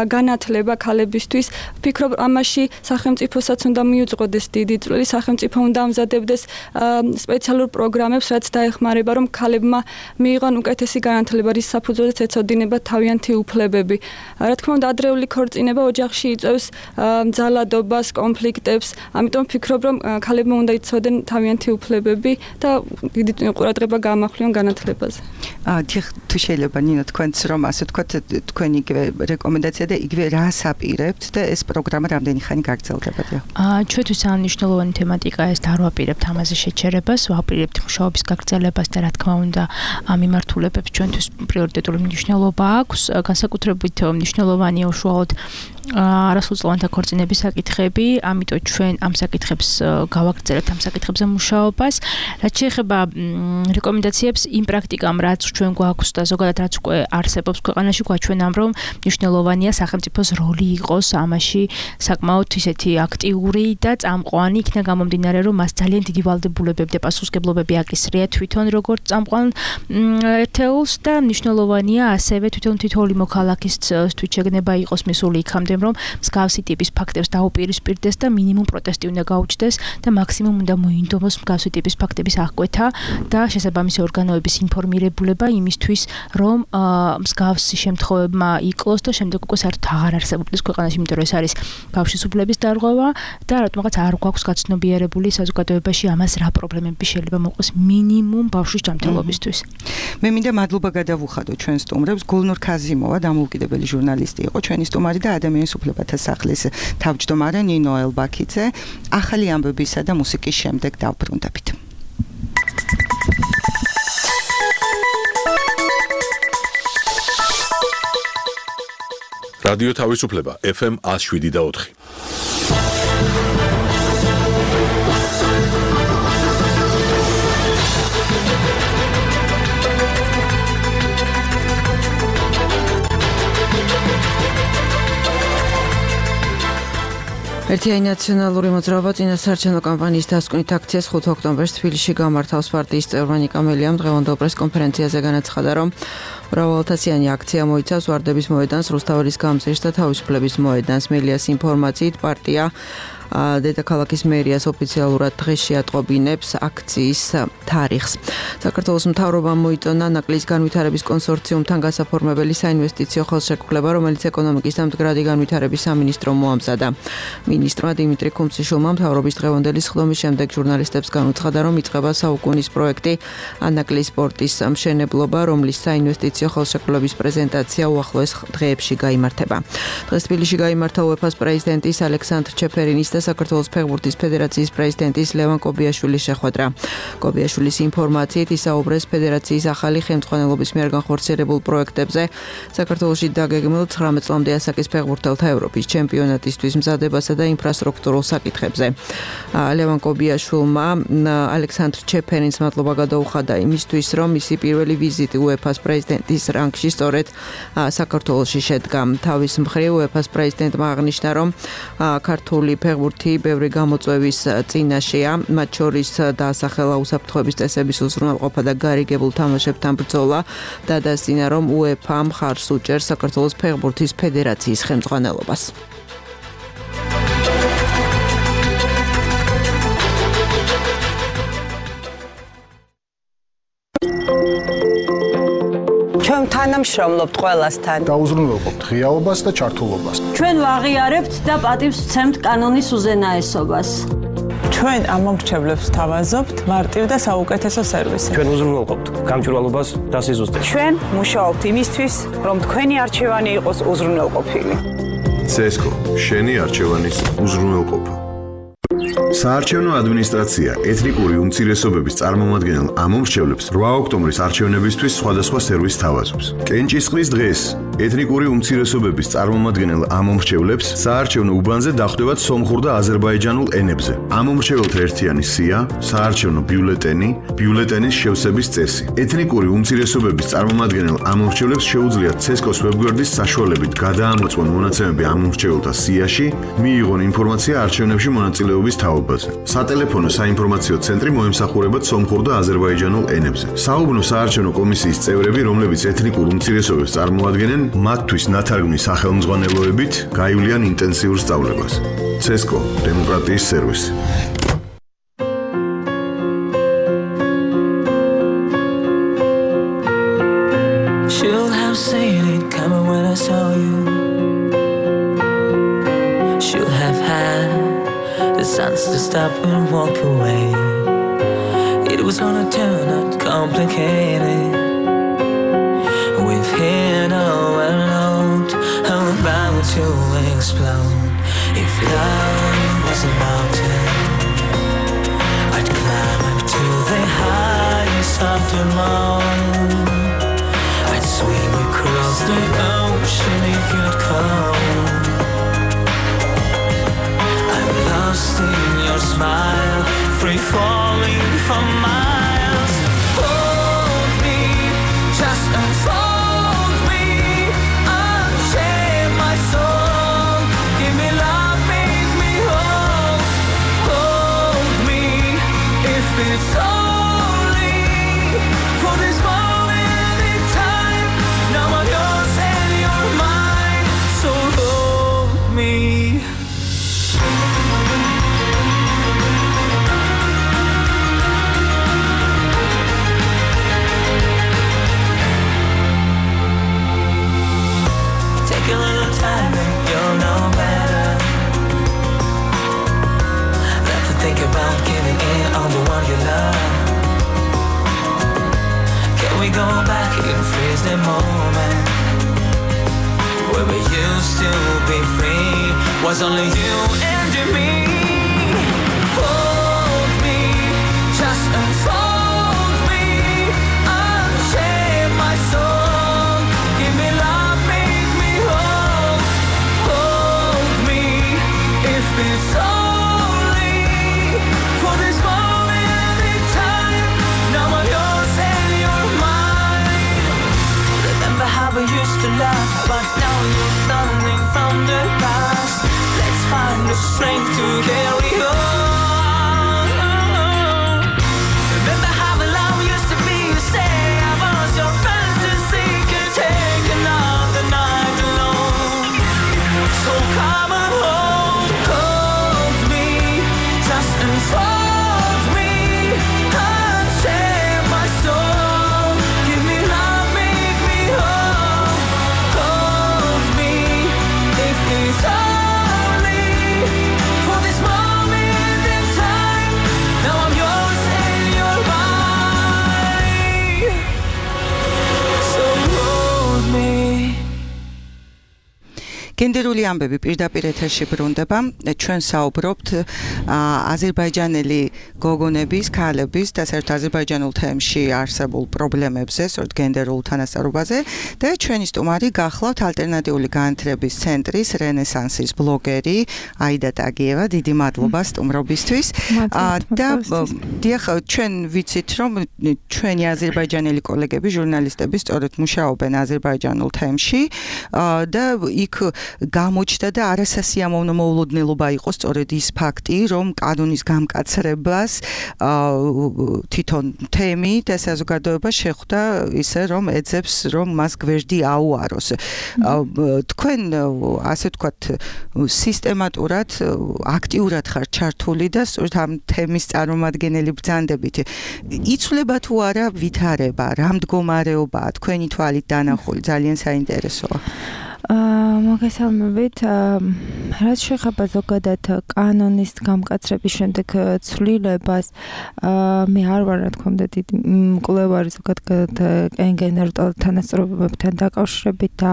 განათლება ქალებისთვის. ვფიქრობ, ამაში სახელმწიფოსაც უნდა მიუძღოდეს დიდი წვლილი, სახელმწიფო უნდა ამზადებდეს სპეციალურ პროგრამებს, რაც დაეხმარება, რომ ქალებმა მიიღონ უკეთესი განათლება, რის საფუძველზეც ეცოდინება თავიანთი უფლებები. რა თქმა უნდა, ადრეული ქორწინება ოჯახში იწვევს ძალადობას, კონფლიქტებს. ამიტომ ვფიქრობ, რომ ქალებმა უნდა იცოდნენ თავიანთი უფლებები და დიდი ყურადღება გაამახვილონ განათლებაზე. თუ შეიძლება ნინო თქვენც რომ ასე თქვათ თქვენ იგივე რეკომენდაცია და იგივე რას აპირებთ და ეს პროგრამა რამდენი ხანი გაგრძელდებოდა? ჩვენთვის ამ მნიშვნელოვანი თემატიკა ეს და არ ვაპირებთ ამაზე შეჩერებას, ვაპირებთ მუშაობის გაგრძელებას და რა თქმა უნდა ამ მიმართულებებს ჩვენთვის პრიორიტეტული მნიშვნელობა აქვს, განსაკუთრებით მნიშვნელოვანია უშუალოდ არასრულწლოვანთა ქორწინების საკითხები, ამიტომ ჩვენ ამ საკითხებს გავაგრძელებთ, ამ საკითხებზე მუშაობას. რაც შეეხება რეკომენდაციებს იმ პრაქტიკამ, რაც ჩვენ გვაქვს და ზოგადად რაც უკვე არსებობს ქვეყანაში, გვაჩვენა რომ მნიშვნელოვანია სახელმწიფოს როლი იყოს ამაში საკმაოდ ისეთი აქტიური და წამყვანი, იქნა გამომდინარე რომ მას ძალიან დიდი ვალდებულებები და პასუხისმგებლობები აკისრია თვითონ როგორც წამყვან ერთეულს და მნიშვნელოვანია ასევე თვითონ თითოეული მოქალაქის თვითშეგნება იყოს მისული იქამდე ვიმეორებდები, რომ მსგავსი ტიპის ფაქტებს დაუპირისპირდეს და მინიმუმ პროტესტი უნდა გაუჩნდეს და მაქსიმუმ უნდა მოინდომოს მსგავსი ტიპის ფაქტების აღკვეთა და შესაბამისი ორგანოების ინფორმირებულება იმისთვის, რომ მსგავსი შემთხვევებმა იკლოს და შემდეგ უკვე საერთოდ აღარ არსებობდეს ქვეყანაში, იმიტომ რომ ეს არის ბავშვის უფლების დარღვევა და რატომღაც არ გვაქვს გაცნობიერებული საზოგადოებაში ამას რა პრობლემები შეიძლება მოყოს მინიმუმ ბავშვის ჯანმრთელობისთვის. მე მინდა მადლობა გადავუხადო ჩვენ სტუმრებს. გულნურ ქაზიმოვა დამოუკიდებელი ჟურნალისტი იყო, ჩვენი სტუმარი და ადამიანის უფლებათა სახლის თავმჯდომარე ნინო ელბაქიძე. ახალი ამბებისა და მუსიკის შემდეგ დავბრუნდებით. რადიო თავისუფლება FM 107.4. ერთიანი ნაციონალური მოძრაობა წინასაარჩევნო კამპანიის დასკვნით აქციას 5 ოქტომბერს თბილისში გამართავს. პარტიის წევრმა ნიკა მელიამ დღევანდელ პრესკონფერენციაზე განაცხადა, რომ მრავალათასიანი აქცია მოიცავს ვარდების მოედანს, რუსთაველის გამზირს და თავისუფლების მოედანს. მელიას ინფორმაციით პარტია დედაქალაქის მერიას ოფიციალურად დღეს შეატყობინებს აქციის თარიღს. საქართველოს მთავრობამ მოიწონა ნაკლის განვითარების კონსორციუმთან გასაფორმებელი საინვესტიციო ხელშეკრულება, რომელიც ეკონომიკის და მდგრადი განვითარების სამინისტრომ მოამზადა. მინისტრმა დიმიტრი ქუმციშვილმა მთავრობის დღევანდელი სხდომის შემდეგ ჟურნალისტებს განუცხადა, რომ იწყება საუკუნის პროექტი ანაკლის პორტის მშენებლობა, რომლის საინვესტიციო ხელშეკრულების პრეზენტაცია უახლოეს დღეებში გაიმართება. დღეს თბილისში გაიმართა UEFA-ს პრეზიდენტის ალექსანდრ ჩეფერინის და საქართველოს ფეხბურთის ფედერაციის პრეზიდენტის ლევან კობიაშვილის შეხვედრა. კობიაშვილის ინფორმაციით ისაუბრეს ფედერაციის ახალი ხელმძღვანელობის მიერ განხორციელებულ პროექტებზე, საქართველოში დაგეგმილ 19 წლამდე ასაკის ფეხბურთელთა ევროპის ჩემპიონატისთვის მზადებასა და ინფრასტრუქტურულ საკითხებზე. ლევან კობიაშვილმა ალექსანდრ ჩეფერინს მადლობა გადაუხადა იმისთვის, რომ მისი პირველი ვიზიტი UEFA-ს პრეზიდენტის რანგში სწორედ საქართველოში შედგა. თავის მხრივ UEFA-ს პრეზიდენტმა აღნიშნა, რომ ქართული ფეხბურთი ბევრი გამოწვევის წინაშეა, მათ შორის დაასახელა უსაფრთხოების წესების უზრუნველყოფა და გარიგებულ თამაშებთან ბრძოლა და დასძინა, რომ UEFA მხარს უჭერს საქართველოს ფეხბურთის ფედერაციის ხელმძღვანელობას. ჩვენ თანამშრომლობთ ყველასთან. დაუზრუნველყოფთ ღიაობას და ჩართულობას. ჩვენ ვაღიარებთ და პატივს ვცემთ კანონის უზენაესობას. ჩვენ ამომრჩევლებს თავაზობთ მარტივ და საუკეთესო სერვისი. ჩვენ უზრუნველყოფთ გამჭვირვალობას და სიზუსტეს. ჩვენ მუშაობთ იმისთვის, რომ თქვენი არჩევანი იყოს უზრუნველყოფილი. CESCO, შენი არჩევანის უზრუნველყოფა. საარჩევნო ადმინისტრაცია ეთნიკური უმცირესობების წარმომადგენელ ამომრჩევლებს 8 ოქტომბრის არჩევნებისთვის სხვადასხვა სერვისს თავაზობს. კენჭისყრის დღეს ეთნიკური უმცირესობების წარმომადგენელ ამომრჩევლებს საარჩევნო უბანზე დახვდებათ სომხურ და აზერბაიჯანულ ენებზე. ამომრჩეველთა ერთიანი სია, საარჩევნო ბიულეტენი, ბიულეტენის შევსების წესი. ეთნიკური უმცირესობების წარმომადგენელ ამომრჩევლებს შეუძლიათ CESCO-ს ვებგვერდის საშუალებით გადაამოწმონ მონაცემები ამომრჩეველთა სიაში, მიიღონ ინფორმაცია არჩევნებში მონაწილეობის თაობაზე. სატელეფონო საინფორმაციო ცენტრი მოემსახურებათ სომხურ და აზერბაიჯანულ ენებზე. საუბნო საარჩევნო კომისიის წევრები, რომლებიც ეთნიკურ უმცირესობებს წარმოადგენენ, მათთვის ნათარგმნის სახელმძღვანელოებით გაივლიან ინტენსიურ სწავლებას. CESCO, დემოკრატიის სერვისი. Should have seen it coming when I saw you. Should have had the sense to stop and walk away. It was gonna turn out complicated. We've hit overload. How about to explode? If love was a mountain, I'd climb up to the highest of them all. I'd swim across the ocean if you'd come. I'm lost in your smile, free falling for miles. Hold me, just unfold me, unchain my soul. Give me love, make me whole. Hold me, if it's only for this moment in time. Now I'm yours and you're mine, so hold in on the one you love. Can we go back and freeze the moment where we used to be free? Was only you and me. Hold me, just unfold me, unchain my soul. Give me love, make me whole. Hold me, if it's only for this moment in time. Now I'm yours and you're mine. Remember how we used to laugh, but now you're turning from the past. Let's find the strength to carry on. Remember how the love used to be. You say I was your fantasy. Can take another night alone. So come and hold me, just unfold me, unchain my soul. Give me love, make me whole. Hold me, if it's only for this moment in time. Now I'm yours and you're mine. So hold me. გენდერული ამბები პირდაპირ ეთერში ბრუნდება. ჩვენ საუბრობთ აზერბაიჯანელი გოგონების, ქალების და საერთოდ აზერბაიჯანულ თემში არსებულ პრობლემებზე, სწორედ გენდერულ თანასწორობაზე და ჩვენი სტუმარი გახლავთ ალტერნატიული განათლების ცენტრის რენესანსის ბლოგერი აიდა ტაგიევა. დიდი მადლობა სტუმრობისთვის. და დიახ, ჩვენ ვიცით, რომ ჩვენი აზერბაიჯანელი კოლეგები, ჟურნალისტები სწორედ მუშაობენ აზერბაიჯანულ თემში და იქ გამოჩნდა და არასასიამოვნო მოულოდნელობა იყო სწორედ ის ფაქტი, რომ კანონის გამკაცრებას თვითონ თემი და საზოგადოება შეხვდა ისე, რომ ეძებს, რომ მას გვერდი აუაროს. თქვენ ასე ვთქვათ, სისტემატურად, აქტიურად ხართ ჩართული და სწორედ ამ თემის წარმომადგენელი ბრძანდებით. იცვლება თუ არა ვითარება, რა მდგომარეობაა თქვენი თვალით დანახული, ძალიან საინტერესოა. მოგესალმებით. რაც შეეხება ზოგადად კანონის გამკაცრების შემდეგ ცვლილებას, მე არ ვარ რა თქმა უნდა დიდი მკვლევარი ზოგადად გენდერულ თანასწორობებთან დაკავშირებით და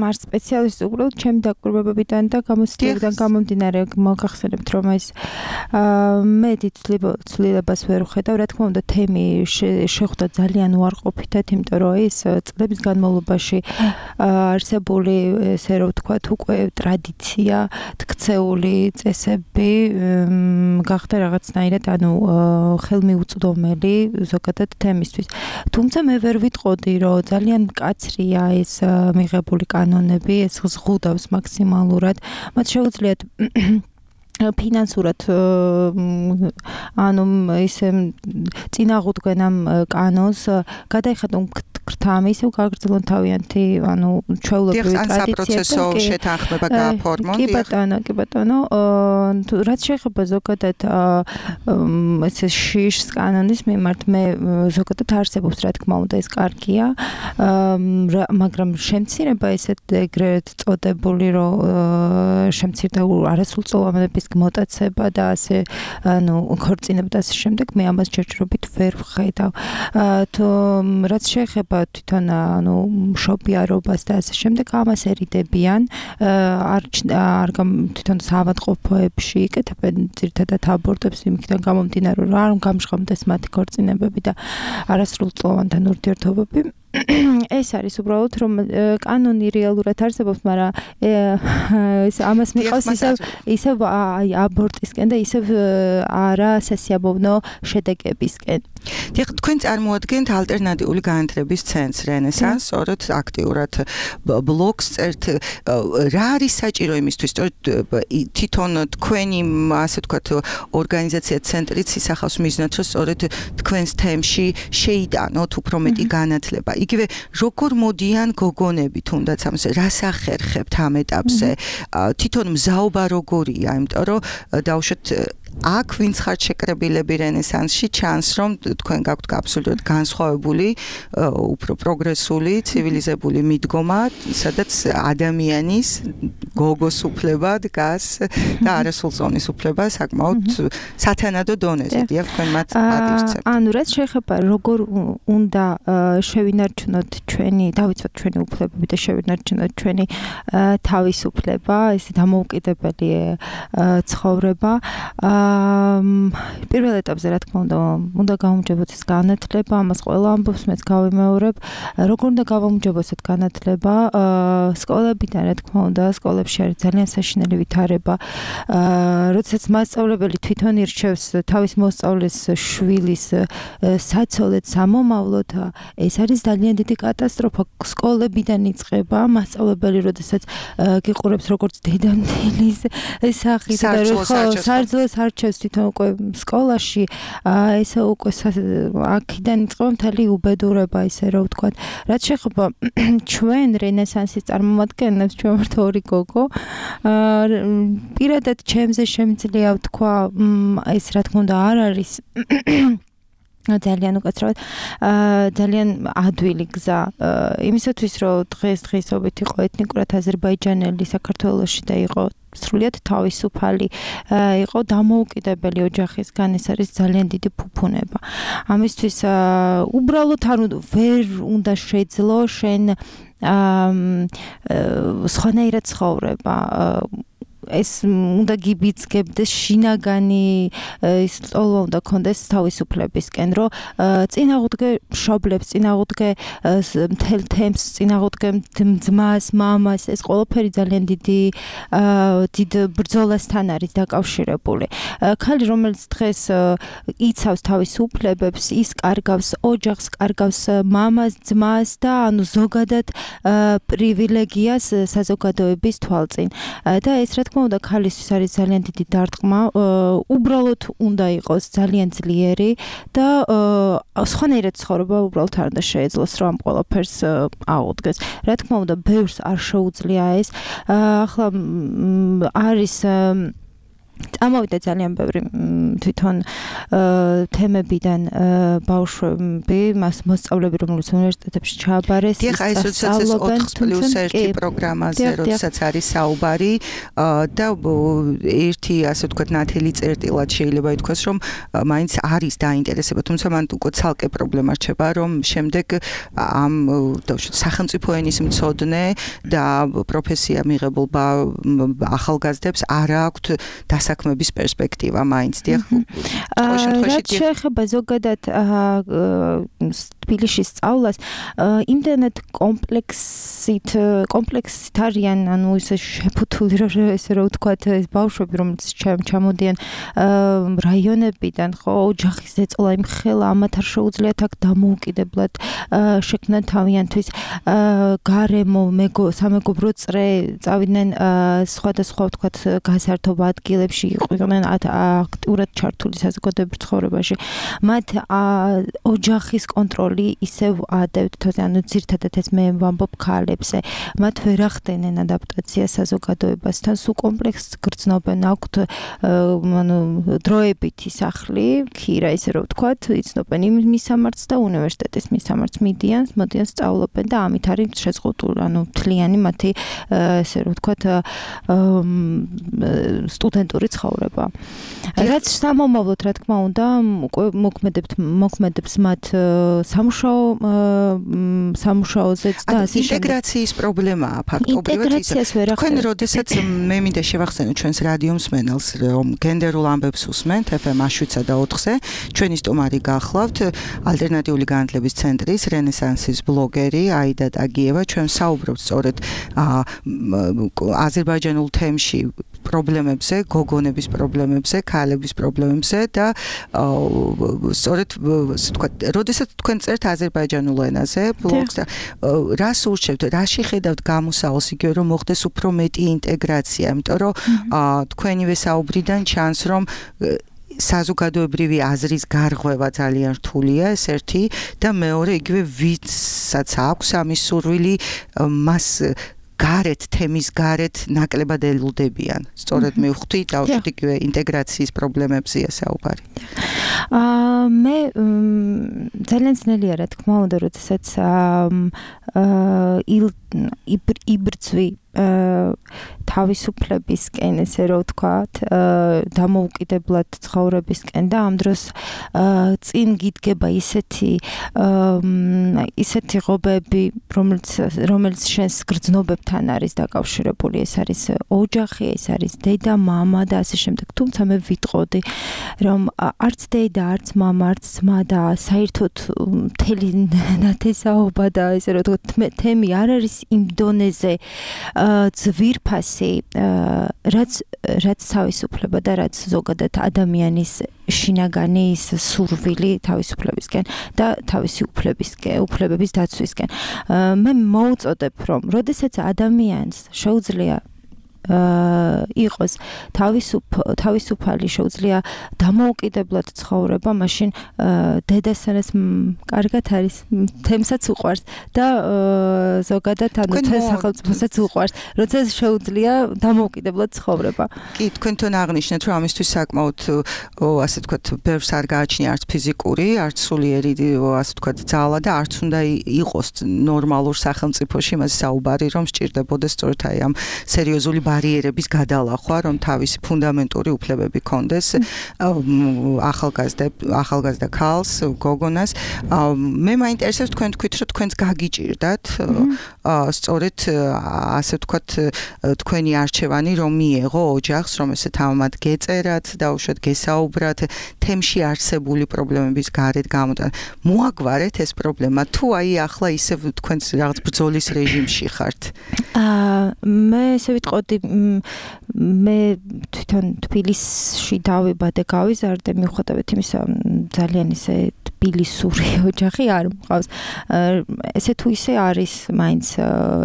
არ სპეციალისტი, უბრალოდ ჩემი დაკვირვებებიდან და გამოცდილებიდან გამომდინარე მოგახსენებთ, რომ ეს მე დიდ ცვლილებას ვერ ვხედავ. რა თქმა უნდა თემი შეხვდა ძალიან უარყოფითად, იმიტომ რომ ეს წლების განმავლობაში არსებული ესე რომ ვთქვათ უკვე ტრადიცია, თქცეული წესები გახდა რაღაცნაირად ხელმიუწვდომელი ზოგადად თემისთვის. თუმცა მე ვერ ვიტყოდი, რომ ძალიან მკაცრია ეს მიღებული კანონები, ეს ზღუდავს მაქსიმალურად. მათ შეუძლიათ ფინანსურად ისე წინაღუდგენ ამ კანონს გადაიხადონ გრთამი, ისევ გაგრძელონ თავიანთი ჩვეულებრივი ტრადიციები და შეთანხმება გააფორმონ. კი ბატონო, რაც შეეხება ზოგადად ესე შიშს კანონის მიმართ, მე ზოგადად არსებობს, რა თქმა უნდა, ეს კარგია, მაგრამ შემცირება ესეთ ეგრეთ წოდებული, რომ შემცირდა არასრულწლოვანების მოტაცება და ასე ქორწინება და ასე შემდეგ, მე ამას ჯერჯერობით ვერ ვხედავ. რაც შეეხება თვითონ მშობიარობას და ასე შემდეგ, ამას ერიდებიან, თვითონ საავადმყოფოებში იკეთებენ ძირითადად აბორტებს იმიდან გამომდინარე, რომ არ გამჟღავნდეს მათი ქორწინებები და არასრულწლოვანთან ურთიერთობები. ეს არის უბრალოდ რომ კანონი რეალურად არსებობს, მაგრამ ამას მიყავს ისევ აბორტისკენ და ისევ არასასიამოვნო შედეგებისკენ. დიახ, თქვენ წარმოადგენთ ალტერნატიული განათლების ცენტრს რენესანს, სწორედ აქტიურად ბლოგს წერთ. რა არის საჭირო იმისთვის, სწორედ თვითონ თქვენი ასე ვთქვათ ორგანიზაცია ცენტრიც ისახავს მიზნად, რომ სწორედ თქვენს თემში შეიტანოთ უფრო მეტი განათლება. იგივე როგორ მოდიან გოგონები თუნდაც ამაზე, რას ახერხებთ ამ ეტაპზე? თვითონ მზაობა როგორია, იმიტომ რომ დავუშვათ აქ ვინც ხართ შეკრებილები რენესანსში ჩანს რომ თქვენ გაქვთ აბსოლუტურად განსხვავებული უფრო პროგრესული ცივილიზებული მიდგომა სადაც ადამიანის გოგოს უფლება დგას და არასრულწლოვნის უფლება საკმაოდ სათანადო დონეზე დიახ თქვენ მათ ადირცებთ ანუ რაც შეეხება როგორ უნდა შევინარჩუნოთ ჩვენი დავიცვათ ჩვენი უფლებები და შევინარჩუნოთ ჩვენი თავისუფლება ეს დამოუკიდებელი ცხოვრება პირველ ეტაპზე რა თქმა უნდა გავუმჯობოთ ეს განათლება ამას ყველა ამბობს მეც გავიმეორებ როგორ უნდა გავუმჯობოთ ეს განათლება სკოლებიდან რა თქმა უნდა სკოლებში არის ძალიან საშინელი ვითარება როდესაც მასწავლებელი თვითონ ირჩევს თავის მოსწავლეს შვილის საცოლედ სამომავლოდ ეს არის ძალიან დიდი კატასტროფა სკოლებიდან იწყება მასწავლებელი როდესაც გიყურებს როგორც დედამთილის სახით სარძლოს არჩევს თვითონ უკვე სკოლაში ესე უკვე აქედან იწყება მთელი უბედურება ისე რა ვთქვათ რაც შეეხება ჩვენ რენესანსის წარმომადგენლებს ჩვენ ვართ ორი გოგო პირადად ჩემზე შემიძლია ვთქვა ეს რა თქმა უნდა არ არის ძალიან უკაცრავად ძალიან ადვილი გზა იმისათვის რომ დღესობით იყო ეთნიკურად აზერბაიჯანელი საქართველოში და იყო სრულიად თავისუფალი იყო დამოუკიდებელი ოჯახისგან ეს არის ძალიან დიდი ფუფუნება ამისთვის უბრალოდ არ ვერ უნდა შეძლო შენ სხვანაირად ცხოვრება ეს უნდა გიბიძგებდეს შინაგანი ის ტოლვა უნდა კონდეს თავისუფლებისკენ რომ წინააღმდეგე მშობლებს წინააღმდეგე მთელ თემს წინააღმდეგე ძმას მამას ეს ყველაფერი ძალიან დიდ ბრძოლასთან არის დაკავშირებული ქალი რომელიც დღეს იცავს თავისუფლებებს ის კარგავს ოჯახს კარგავს მამას ძმას და ანუ ზოგადად პრივილეგიას საზოგადოების თვალწინ და ეს რა თქმა უნდა ქალისთვის არის ძალიან დიდი დარტყმა უბრალოდ უნდა იყოს ძალიან ძლიერი და სხვანაირად ცხოვრება უბრალოდ არ უნდა შეეძლოს რომ ამ ყველაფერს აუდგეს რა თქმა უნდა ბევრს არ შეუძლია ეს ახლა არის წამოვიდა ძალიან ბევრი თვითონ თემებიდან ბავშვები მას მოსწავლეები რომლებიც უნივერსიტეტებში ჩააბარეს დიახ ეს 4+1 პროგრამაზე როდესაც არის საუბარი და ერთი ასე ვთქვათ ნათელი წერტილად შეიძლება ითქვას რომ მაინც არის დაინტერესება თუმცა მან უკვე ცალკე პრობლემა რჩება რომ შემდეგ ამ სახელმწიფო ენის მცოდნე და პროფესია მიღებულ ახალგაზრდებს არ აქვთ საქმების პერსპექტივა მაინც დიახ რაც შეეხება ზოგადად თბილისში სწავლას იმდანად კომპლექსით არიან ანუ ისე შეფუთული რომ ესე რა ვთქვათ ეს ბავშვები რომელიც ჩამოდიან რაიონებიდან ხო ოჯახის ზეწოლა იმხელა ამათ არ შეუძლიათ აქ დამოუკიდებლად შექმნან თავიანთვის გარემო სამეგობრო წრე წავიდნენ სხვადასხვა ვთქვათ გასართობ ადგილებში იყვნენ აქტიურად ჩართული საზოგადოებრივ ცხოვრებაში მათ ოჯახის კონტროლი ისევ ადევთ თოზე ანუ ძირთადად ეს მე ვამბობ ქალებზე მათ ვერ ახდენენ ადაპტაცია საზოგადოებასთან სულ კომპლექსს გრძნობენ აქვთ ანუ დროებითი სახლი ქირა ისე რომ ვთქვათ იცნობენ იმ მისამართს და უნივერსიტეტის მისამართს მოდიან სწავლობენ და ამით არის შეზღუდული ანუ მთლიანი მათი ესე რომ ვთქვათ სტუდენტური ცხოვრება. რაც სამომავლოდ რა თქმა უნდა უკვე მოქმედებს მათ სამუშაოზეც და ასე ინტეგრაციის პრობლემაა ფაქტობრივად ის. თქვენ როდესაც მე მინდა შევახსენო ჩვენს რადიო მსმენელს რომ გენდერულ ამბებს უსმენთ FM 7/4-ზე ჩვენი სტუმარი გახლავთ ალტერნატიული განათლების ცენტრის რენესანსის ბლოგერი აიდა ტაგიევა ჩვენ საუბრობთ სწორედ აზერბაიჯანულ თემში პრობლემებზე, გოგონების პრობლემებზე, ქალების პრობლემებზე და სწორედ ვთქვათ, როდესაც თქვენ წერთ აზერბაიჯანულ ენაზე ბლოგს და რას ურჩევთ, რაში ხედავთ გამოსავალს იგივე რომ მოხდეს უფრო მეტი ინტეგრაცია, იმიტომ რომ თქვენივე საუბრიდან ჩანს რომ საზოგადოებრივი აზრის გარღვევა ძალიან რთულია ეს ერთი და მეორე იგივე ვისაც აქვს ამის სურვილი მას გარეთ თემის გარეთ ნაკლებად ელუდებიან. სწორედ მივხვდი დავშვით იგივე ინტეგრაციის პრობლემებზეა საუბარი. მე ძალიან ძნელია რა თქმა უნდა, როდესაც იბრძვი თავისუფლებისკენ, ესე რომ ვთქვათ, დამოუკიდებლად ცხოვრებისკენ და ამ დროს წინ გიდგება ისეთი ღობები, რომელიც შენს გრძნობებთან არის დაკავშირებული, ეს არის ოჯახი, ეს არის დედა, მამა და ასე შემდეგ. თუმცა მე ვიტყოდი, რომ არც დედა, არც მამა, არც ძმა და საერთოდ მთელი ნათესაობა და ესე რომ ვთქვათ, თემი არ არის იმ დონეზე ძვირფასი, რაც თავისუფლება და რაც ზოგადად ადამიანის შინაგანი ის სურვილი თავისუფლებისკენ და თავისი უფლებების დაცვისკენ. მე მოუწოდებ, რომ როდესაც ადამიანს შეუძლია იყოს თავისუფალი, შეუძლია დამოუკიდებლად ცხოვრება, მაშინ დედასანაც კარგად არის, თემსაც უყვარს და ზოგადად ანუ სახელმწიფოსაც უყვარს, როცა შეუძლია დამოუკიდებლად ცხოვრება. კი, თქვენთან აღნიშნეთ, რომ ამისთვის საკმაოდ ასე ვთქვათ, ბევრს არ გააჩნია არც ფიზიკური, არც სულიერი ასე ვთქვათ, ძალა და არც უნდა იყოს ნორმალურ სახელმწიფოში მას საუბარი, რომ სჭირდებოდეს სწორედ აი ამ სერიოზული ბარიერების გადალახვა, რომ თავისი ფუნდამენტური უფლებები ქონდეს ახალგაზრდა ქალს, გოგონას. მე მაინტერესებს თქვენ თქვით, რომ თქვენს გაგიჭირდათ სწორედ ასე ვთქვათ, თქვენი არჩევანი რომ მიეღო ოჯახს, რომ ესე თამამად გეწერათ და უშუალოდ გესაუბრათ თემში არსებული პრობლემების გარეთ გამოდან. მოაგვარეთ ეს პრობლემა თუ აი ახლა ისევ თქვენს რაღაც ბრძოლის რეჟიმში ხართ? მე ესე ვიტყოდი, მე თვითონ თბილისში დავიბადე, გავიზარდე, მიუხედავად იმისა, ძალიან ისე თბილისური ოჯახი არ მყავს. ესე თუ ისე არის მაინც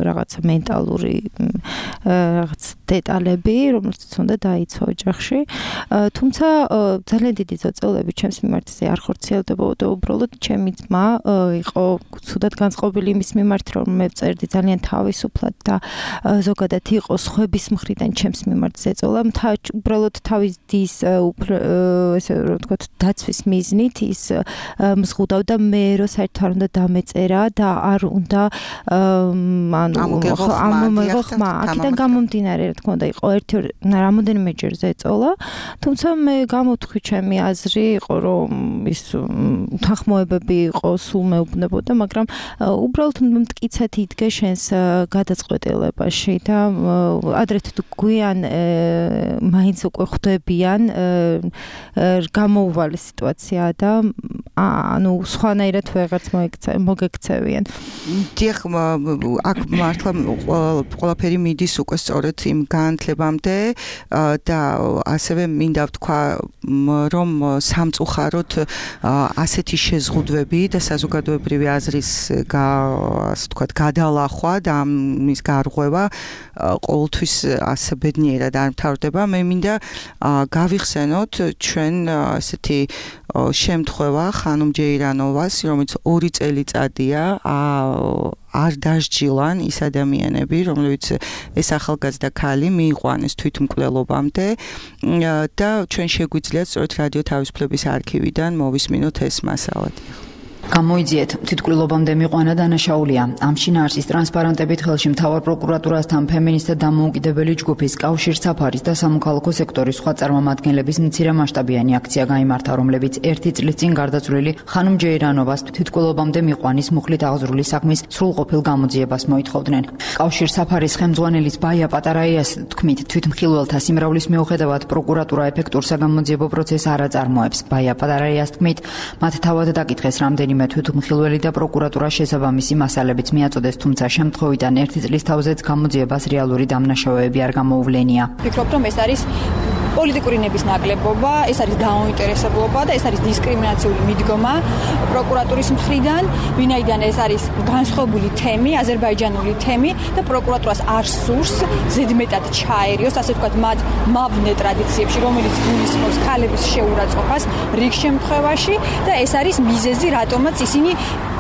რაღაცა მენტალური რაღაც დეტალები, რომელსაც უნდა დაიცვა ოჯახში. თუმცა ძალიან დიდი ზოწოლები ჩემს მიმართზე არ ხორციელდებოდა, უბრალოდ ჩემი ძმა იყო ცუდად განწყობილი იმის მიმართ, რომ მე ვწერდი ძალიან თავისუფლად და ზოგადად იყო სხვების მხრიდან ჩემს მიმართ ზეწოლა. უბრალოდ თავის დის ესე რომ ვთქვათ, დაცვის მიზნით ის მზღუდავდა მე რომ საერთოდ არ უნდა დამეწერა და არ უნდა ამომეღო ხმა. აქედან გამომდინარე, რა თქმა უნდა, იყო რამოდენიმეჯერ ზეწოლა, თუმცა მე გამოვთქვი ჩემი აზრი იყო, რომ ის თანხმოებები იყო, სულ მეუბნებოდა, მაგრამ უბრალოდ მტკიცედ იდგე შენს გადაწყვეტილებაში და ადრე თუ გვიან მაინც უკვე ხვდებიან გამოუვალე სიტუაცია და ანუ სხვანაირად ვეღარც მოგექცევიან. დიახ, აქ მართლა ყველაფერი მიდის უკვე სწორედ იმ განათლებამდე და ასევე მინდა ვთქვა, რომ სამწუხაროდ ასეთი შეზღუდვები და საზოგადოებრივი აზრის ასე ვთქვათ, გადალახვა და ამის გარღვევა ყოველთვის ასე ბედნიერად არ მთავრდება. მე მინდა გავიხსენოთ ჩვენ ასეთი შემთხვევა ხანუმ ჯეირანოვას, რომელიც 2 წელიწადია არ დასჯილან ის ადამიანები, რომლებიც ეს ახალგაზრდა ქალი მიიყვანეს თვითმკვლელობამდე და ჩვენ შეგვიძლია სწორედ რადიო თავისუფლების არქივიდან მოვისმინოთ ეს მასალა. გამოიძიეთ, თვითმკვლელობამდე მიყვანა დანაშაულია. ამ შინაარსის ტრანსპარენტებით ხელში მთავარ პროკურატურასთან ფემინისტთა დამოუკიდებელი ჯგუფის კავშირ საფარის და სამოქალაქო სექტორის სხვა წარმომადგენლების მცირემასშტაბიანი აქცია გაიმართა, რომლებიც 1 წლის წინ გარდაცვლილი ხანუმ ჯეირანოვას თვითმკვლელობამდე მიყვანის მუხლით აღზრული საქმის სრულყოფილ გამოძიებას მოითხოვდნენ. კავშირ საფარის ხელმძღვანელის ბაია პატარაიას თქმით, თვითმხილველთა სიმრავლის მიუხედავად პროკურატურა ეფექტურ საგამოძიებო პროცესს არ აწარმოებს. ბაია პატარაიას თქმით, მათ თავად დაკითხეს რამდენიმე თვითმხილველი და პროკურატურა შესაბამისი მასალებიც მიაწოდეს, თუმცა შემთხვევიდან 1 წლის თავზეც გამოძიებას რეალური დამნაშავეები არ გამოუვლენია. ვფიქრობ, რომ ეს არის პოლიტიკური ნების ნაკლებობა, ეს არის დაუინტერესებლობა და ეს არის დისკრიმინაციული მიდგომა პროკურატურის მხრიდან, ვინაიდან ეს არის განსხვავებული თემი, აზერბაიჯანული თემი და პროკურატურას არ სურს ზედმეტად ჩაერიოს, ასე ვთქვათ, მათ მაბნე ტრადიციებში, რომელიც გულისხმობს ქალების შეურაცხყოფას რიგ შემთხვევაში და ეს არის მიზეზი, რატომაც ისინი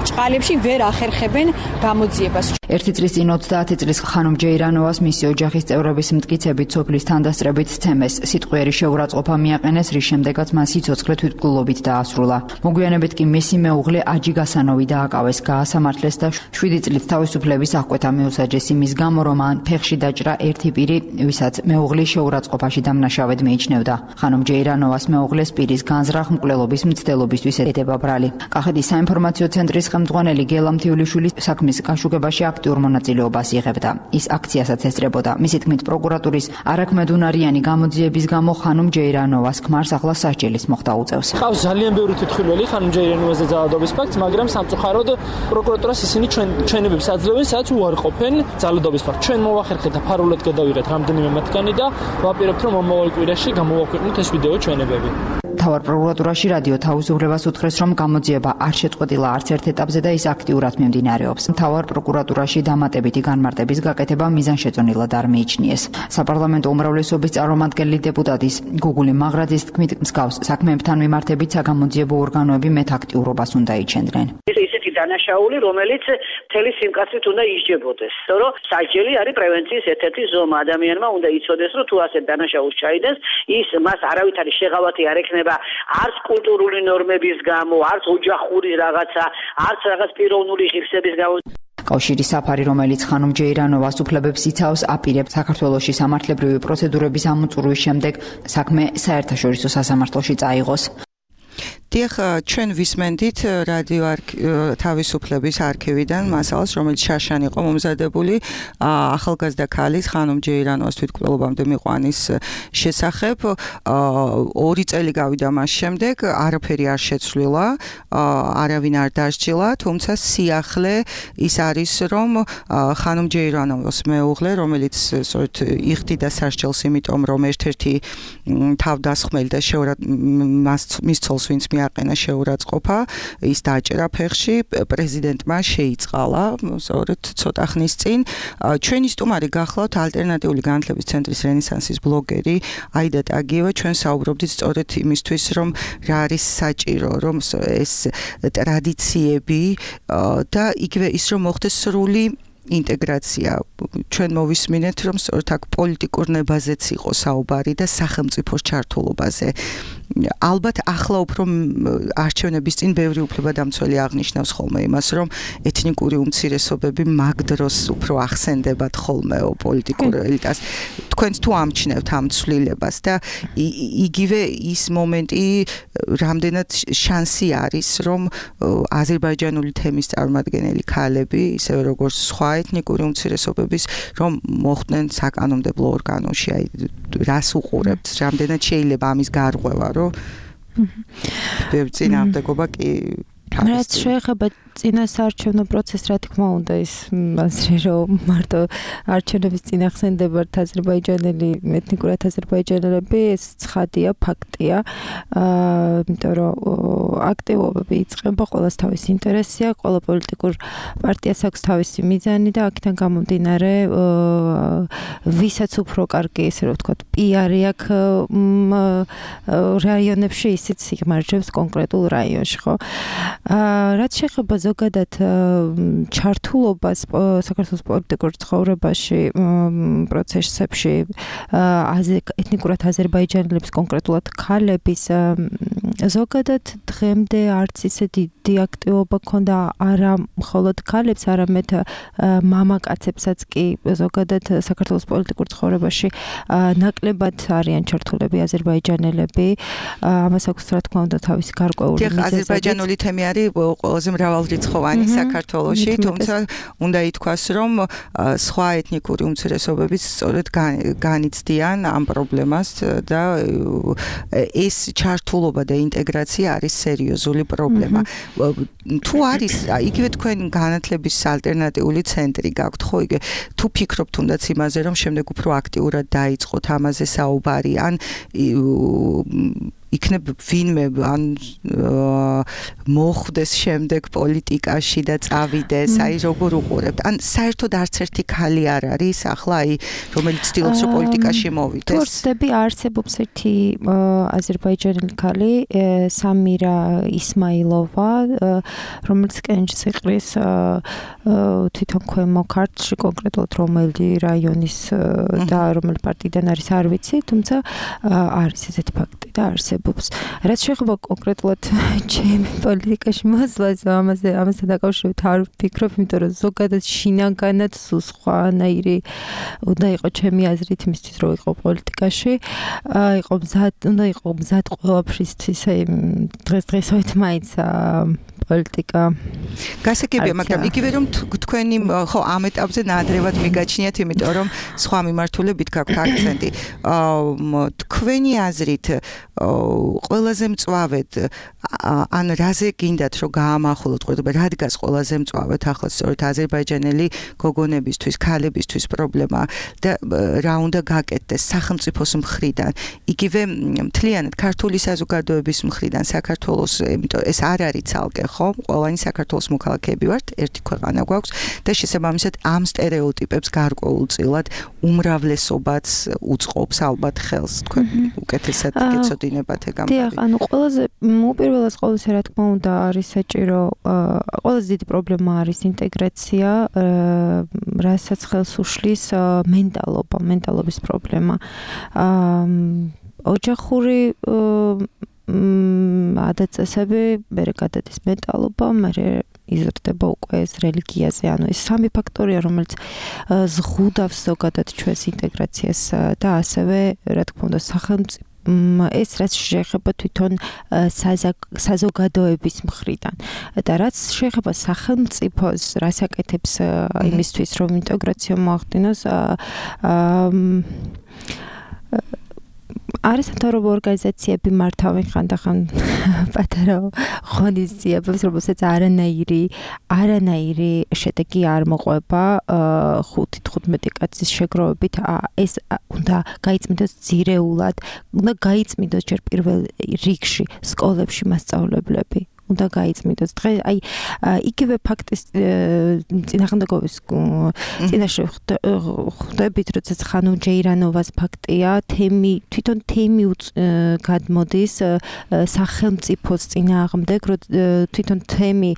ჭყალებში ვერ ახერხებენ გამოძიებას. ერთი წლის წინ 30 წლის ხანუმ ჯეირანოვას მისი ოჯახის წევრების მტკიცებით სოფლის თანდასწრებით ცემეს სიტყვიერი შეურაცხყოფა მიაყენეს, რის შემდეგაც მას სიცოცხლე თვითმკვლელობით დაასრულა. მოგვიანებით კი მისი მეუღლე აჯი გასანოვი დააკავეს, გაასამართლეს და 7 წლით თავისუფლების აღკვეთა მიუსაჯეს იმის გამო, რომ მან ფეხში დაჭრა ერთი პირი, ვისაც მეუღლის შეურაცხყოფაში დამნაშავედ მიიჩნევდა. ხანუმ ჯეირანოვას მეუღლეს პირის განზრახ მკვლელობის მცდელობისთვის ეთება ბრალი. კახეთის საინფორმაციო ცენტრის ხელმძღვანელი გელა მთიულიშვილი საქმის გაშუქებაში აქტიურ მონაწილეობას იღებდა. ის აქციასაც ესწრებოდა. მისი თქმით, პროკურატურის არაქმედუნარიანი გამოძიების გამო ხანუმ ჯეირანოვას ქმარს ახლა სასჯელის მოხდა უწევს. ყავს ძალიან ბევრი თვითმხილველი ხანუმ ჯეირანოვაზე ძალადობის ფაქტს, მაგრამ სამწუხაროდ პროკურატურას ისინი ჩვენებებს აძლევენ, სადაც უარყოფენ ძალადობის ფაქტს. ჩვენ მოვახერხეთ და ფარულად გადავიღეთ რამდენიმე მათგანი და ვაპირებთ, რომ მომავალ კვირაში გამოვაქვეყნოთ ეს ვიდეო ჩვენებები. თავარ პროკურატურაში რადიო თავისუფლებას უთხრეს, რომ გამოძიება არ შეწყვეტილა არც ერთ ეტაპზე და ის აქტიურად მიმდინარეობს. თავარ პროკურატურაში დამატებითი განმარტების გაკეთება მიზანშეწონილად არ მიიჩნიეს. საპარლამენტო უმრავლესობის წარმომადგენელი დეპუტატის გუგული მაღრაძის თქმით, მსგავს საქმეებთან მიმართებით საგამოძიებო ორგანოები მეტ აქტიურობას უნდა იჩენდნენ. ისეთი დანაშაული, რომელიც მთელი სიმკაცრით უნდა ისჯებოდეს, რომ სასჯელი არის პრევენციის ერთ-ერთი ზომა. ადამიანმა უნდა იცოდეს, რომ თუ ასეთ დანაშაულს ჩაიდენს, ის მას არავითარი შეღავათი არ ექნება არც კულტურული ნორმების გამო, არც ოჯახური რაღაცა, არც რაღაც პიროვნული ღირსების გამო. კავშირის საფარი, რომელიც ხანუმ ჯეირანოვას უფლებებს იცავს, აპირებს საქართველოში სამართლებრივი პროცედურების ამოწურვის შემდეგ საქმე საერთაშორისო სასამართლოში წაიღოს. დიახ, ჩვენ ვისმენდით რადიო თავისუფლების არქივიდან მასალას, რომელიც შაშან იყო მომზადებული ახალგაზრდა ქალის ხანუმ ჯეირანოვას თვითმკვლელობამდე მიყვანის შესახებ. 2 წელი გავიდა მას შემდეგ, არაფერი არ შეცვლილა, არავინ არ დასჯილა, თუმცა სიახლე ის არის, რომ ხანუმ ჯეირანოვას მეუღლე, რომელიც სწორედ იხდიდა სასჯელს, იმიტომ რომ ერთ-ერთი თავდასხმელი და მის ცოლს ვინც მიაყენა შეურაცხყოფა, ის დაჭერა ფეხში, პრეზიდენტმა შეიწყალა, სწორედ ცოტა ხნის წინ. ჩვენი სტუმარი გახლავთ ალტერნატიული განათლების ცენტრის რენესანსის ბლოგერი აიდა ტაგიევა. ჩვენ საუბრობდით სწორედ იმისთვის, რომ რა არის საჭირო, რომ ეს ტრადიციები და იგივე ის რომ მოხდეს სრული ინტეგრაცია. ჩვენ მოვისმინეთ, რომ სწორედ აქ პოლიტიკურ ნებაზეც იყო საუბარი და სახელმწიფოს ჩართულობაზე. ალბათ ახლა უფრო არჩევნების წინ ბევრი უფლებადამცველი აღნიშნავს ხოლმე იმას, რომ ეთნიკური უმცირესობები მაგ დროს უფრო ახსენდებათ ხოლმე პოლიტიკურ ელიტას. თქვენც თუ ამჩნევთ ამ ცვლილებას და იგივე ის მომენტი რამდენად შანსი არის, რომ აზერბაიჯანული თემის წარმომადგენელი ქალები, ისევე როგორც სხვა ეთნიკური უმცირესობების, რომ მოხვდნენ საკანონმდებლო ორგანოში, აი რას უყურებთ, რამდენად შეიძლება ამის გარღვევა, რომ ბევრი წინააღმდეგობა კი რაც შეეხება წინასაარჩევნო პროცესს, რა თქმა უნდა, ის მასე რომ მარტო არჩევნების წინ ახსენდებათ აზერბაიჯანელი ეთნიკურად აზერბაიჯანელები, ეს ცხადია, ფაქტია. იმიტომ რომ აქტივობები იწყება, ყველას თავისი ინტერესია, ყველა პოლიტიკურ პარტიას აქვს თავისი მიზანი და აქედან გამომდინარე, ვისაც უფრო კარგი, ესე რომ ვთქვათ, პიარი აქვს რაიონებში, ისიც იგმარჯვებს კონკრეტულ რაიონში, ხო? რაც შეეხება ზოგადად ჩართულობას საქართველოს პოლიტიკურ ცხოვრებაში, პროცესებში, ეთნიკურად აზერბაიჯანელების, კონკრეტულად ქალების, ზოგადად დღემდე არც ისე დიდი აქტივობა ქონდა არა მხოლოდ ქალებს, არამედ მამაკაცებსაც კი ზოგადად საქართველოს პოლიტიკურ ცხოვრებაში ნაკლებად არიან ჩართულები აზერბაიჯანელები. ამას აქვს რა თქმა უნდა თავისი გარკვეული მიზეზები. აზერბაიჯანული თემი არის ყველაზე მრავალრიცხოვანი საქართველოში, თუმცა უნდა ითქვას, რომ სხვა ეთნიკური უმცირესობებიც სწორედ განიცდიან ამ პრობლემას და ეს ჩართულობა და ინტეგრაცია არის სერიოზული პრობლემა. თუ არის, იგივე თქვენ განათლების ალტერნატიული ცენტრი გაქვთ, ხო, იგივე თუ ფიქრობთ თუნდაც იმაზე, რომ შემდეგ უფრო აქტიურად დაიწყოთ ამაზე საუბარი, ან იქნებ ვინმე ან მოხვდეს შემდეგ პოლიტიკაში და წავიდეს, აი როგორ უყურებთ? ან საერთოდ არც ერთი ქალი არ არის ახლა, აი რომელიც ცდილობს რომ პოლიტიკაში მოვიდეს? თუ ვწდები არსებობს ერთი აზერბაიჯანელი ქალი, სამირა ისმაილოვა, რომელიც კენჭს იყრის თვითონ ქვემო ქართლში, კონკრეტულად რომელი რაიონის და რომელი პარტიიდან არის არ ვიცი, თუმცა არის ესეთი ფაქტი და არსებობს. რაც შეეხება კონკრეტულად ჩემი პოლიტიკაში მოსვლას, ამასთან დაკავშირებით არ ვფიქრობ, იმიტომ რომ ზოგადად შინაგანად სულ სხვანაირი უნდა იყო ჩემი აზრით იმისთვის რომ იყო პოლიტიკაში, უნდა იყო მზად ყველაფრისთვის, დღესდღეობით მაინც პოლიტიკა გასაგებია, მაგრამ იგივე რომ თქვენი ხო ამ ეტაპზე ნადრევად მიგაჩნიათ, იმიტომ რომ სხვა მიმართულებით გაქვთ აქცენტი. თქვენი აზრით ყველაზე მწვავედ ან რაზე გინდათ რომ გაამახვილოთ ყურადღება, რა დგას ყველაზე მწვავედ ახლა სწორედ აზერბაიჯანელი გოგონებისთვის, ქალებისთვის პრობლემა და რა უნდა გაკეთდეს სახელმწიფოს მხრიდან, იგივე მთლიანად ქართული საზოგადოების მხრიდან, საქართველოს, იმიტომ ეს არ არის ცალკე, ხო? ყველანი საქართველოს მოქალაქეები ვართ, ერთი ქვეყანა გვაქვს და შესაბამისად ამ სტერეოტიპებს გარკვეულწილად უმრავლესობაც უწყობს ალბათ ხელს, თქვენ უკეთესად გეცოდინებათ ეგ ამბავი. დიახ, ანუ ყველაზე უპირველეს ყოვლისა, რა თქმა უნდა, არის საჭირო, ყველაზე დიდი პრობლემა არის ინტეგრაცია, რასაც ხელს უშლის მენტალობის პრობლემა. ოჯახური ადაწესები, მერე გადადის მენტალობა, მერე იზრდება უკვე ეს რელიგიაზე, ანუ ეს სამი ფაქტორია, რომელიც ზღუდავს ზოგადად ჩვენს ინტეგრაციას და ასევე, რა თქმა უნდა, სახელმწიფო ეს რაც შეეხება თვითონ საზოგადოების მხრიდან და რაც შეეხება სახელმწიფოს, რას აკეთებს იმისთვის, რომ ინტეგრაცია მოახდინოს, არის სამთავრობო ორგანიზაციები მართავენ ხანდახან პატარა ღონისძიებებს, რომელსაც არანაირი შედეგი არ მოყვება 5-15 კაცის შეგროვებით. ეს უნდა გაიწმინდოს ძირეულად, უნდა გაიწმინდოს ჯერ პირველ რიგში სკოლებში მასწავლებლები. უნდა გაიწმინდოს. დღე აი იგივე ფაქტის წინააღმდეგობის წინაშე ხვდებით, როდესაც ხანუ ჯეირანოვას ფაქტია, თვითონ თემი გადმოდის სახელმწიფოს წინააღმდეგ, თვითონ თემი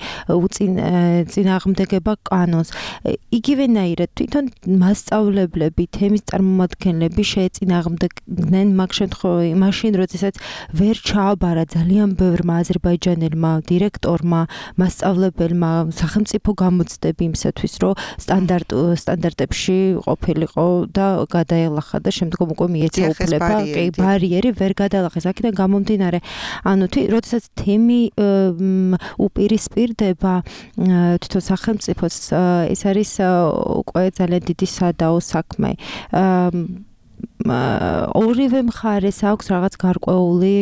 წინააღმდეგება კანონს. იგივენაირად თვითონ მასწავლებლები, თემის წარმომადგენლები შეეწინააღმდეგნენ მაშინ, როდესაც ვერ ჩააბარა ძალიან ბევრმა აზერბაიჯანელმა დირექტორმა, მასწავლებელმა სახელმწიფო გამოცდები იმისათვის, რომ სტანდარტებში ყოფილიყო და გადაელახა და შემდგომ უკვე მიეცა უფლება, ბარიერი ვერ გადაელახეს. აქედან გამომდინარე, ანუ როდესაც თემი უპირისპირდება თვითონ სახელმწიფოს, ეს არის უკვე ძალიან დიდი სადაო საქმე. ორივე მხარეს აქვს რაღაც გარკვეული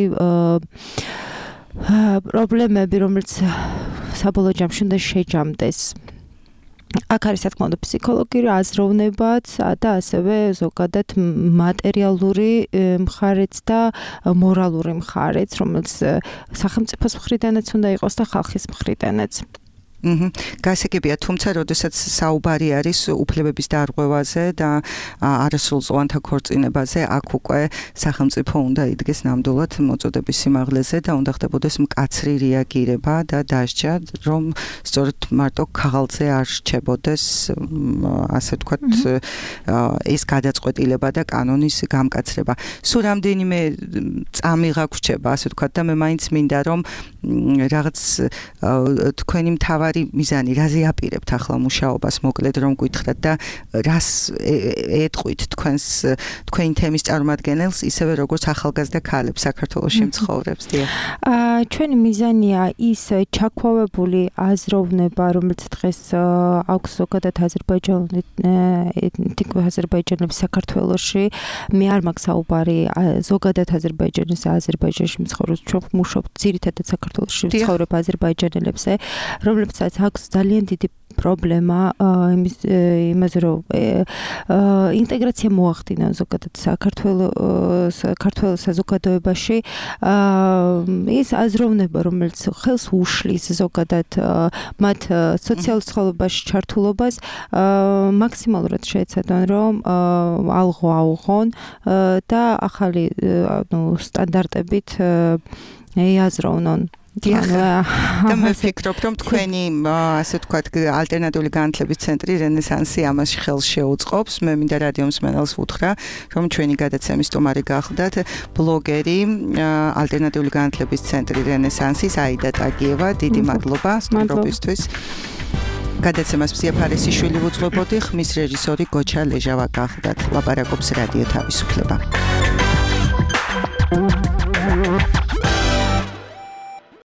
პრობლემები, რომელიც საბოლოო ჯამში უნდა შეჯამდეს. აქ არის რა თქმა უნდა ფსიქოლოგიური აზროვნებაც და ასევე ზოგადად მატერიალური მხარეც და მორალური მხარეც, რომელიც სახელმწიფოს მხრიდანაც უნდა იყოს და ხალხის მხრიდანაც. გასაგებია, თუმცა როდესაც საუბარი არის უფლებების დარღვევაზე და არასრულწლოვანთა ქორწინებაზე, აქ უკვე სახელმწიფო უნდა იდგეს ნამდვილად მოწოდების სიმაღლეზე და უნდა ხდებოდეს მკაცრი რეაგირება და დასჯა, რომ სწორედ მარტო ქაღალდზე არ რჩებოდეს, ასე ვთქვათ, ეს გადაწყვეტილება და კანონის გამკაცრება. სულ რამდენიმე წამი გაგვრჩება, ასე ვთქვათ, და მე მაინც მინდა რომ რაღაც თქვენი მთავარი მიზანი რაზე აპირებთ ახლა მუშაობას, მოკლედ რომ გითხრათ და რას ეტყვით თქვენი თემის წარმომადგენელს, ისევე როგორც ახალგაზრდა ქალებს საქართველოში მცხოვრებს. ჩვენი მიზანია ის ჩაქვავებული აზროვნება, რომელიც დღეს აქვს ზოგადად აზერბაიჯანელებს საქართველოში, მე არ მაქვს საუბარი ზოგადად აზერბაიჯანში მცხოვრებს, ჩვენ მუშაობთ ძირითადად საქართველოში მცხოვრებ აზერბაიჯანელებზე, რომლებიც რომელსაც აქვს ძალიან დიდი პრობლემა იმაზე რომ ინტეგრაცია მოახდინონ ზოგადად საქართველოს საზოგადოებაში ის აზროვნება რომელიც ხელს უშლის ზოგადად მათ სოციალურ ცხოვრებაში ჩართულობას მაქსიმალურად შეეცადონ რომ ალღო აუღონ და ახალი სტანდარტებით ეაზროვნონ და მე ვფიქრობ რომ თქვენი ასე ვთქვათ ალტერნატიული განათლების ცენტრი რენესანსი ამაში ხელს შეუწყობს მე მინდა რადიო მსმენელს ვუთხრა რომ ჩვენი გადაცემის სტუმარი გახლდათ ბლოგერი ალტერნატიული განათლების ცენტრი რენესანსის აიდა ტაგიევა დიდი მადლობა სტუმრობისთვის გადაცემას მზია ფარესიშვილი ვუძღვებოდი ხმის რეჟისორი გოჩა ლეჟავა გახლდათ ლაპარაკობს რადიო თავისუფლება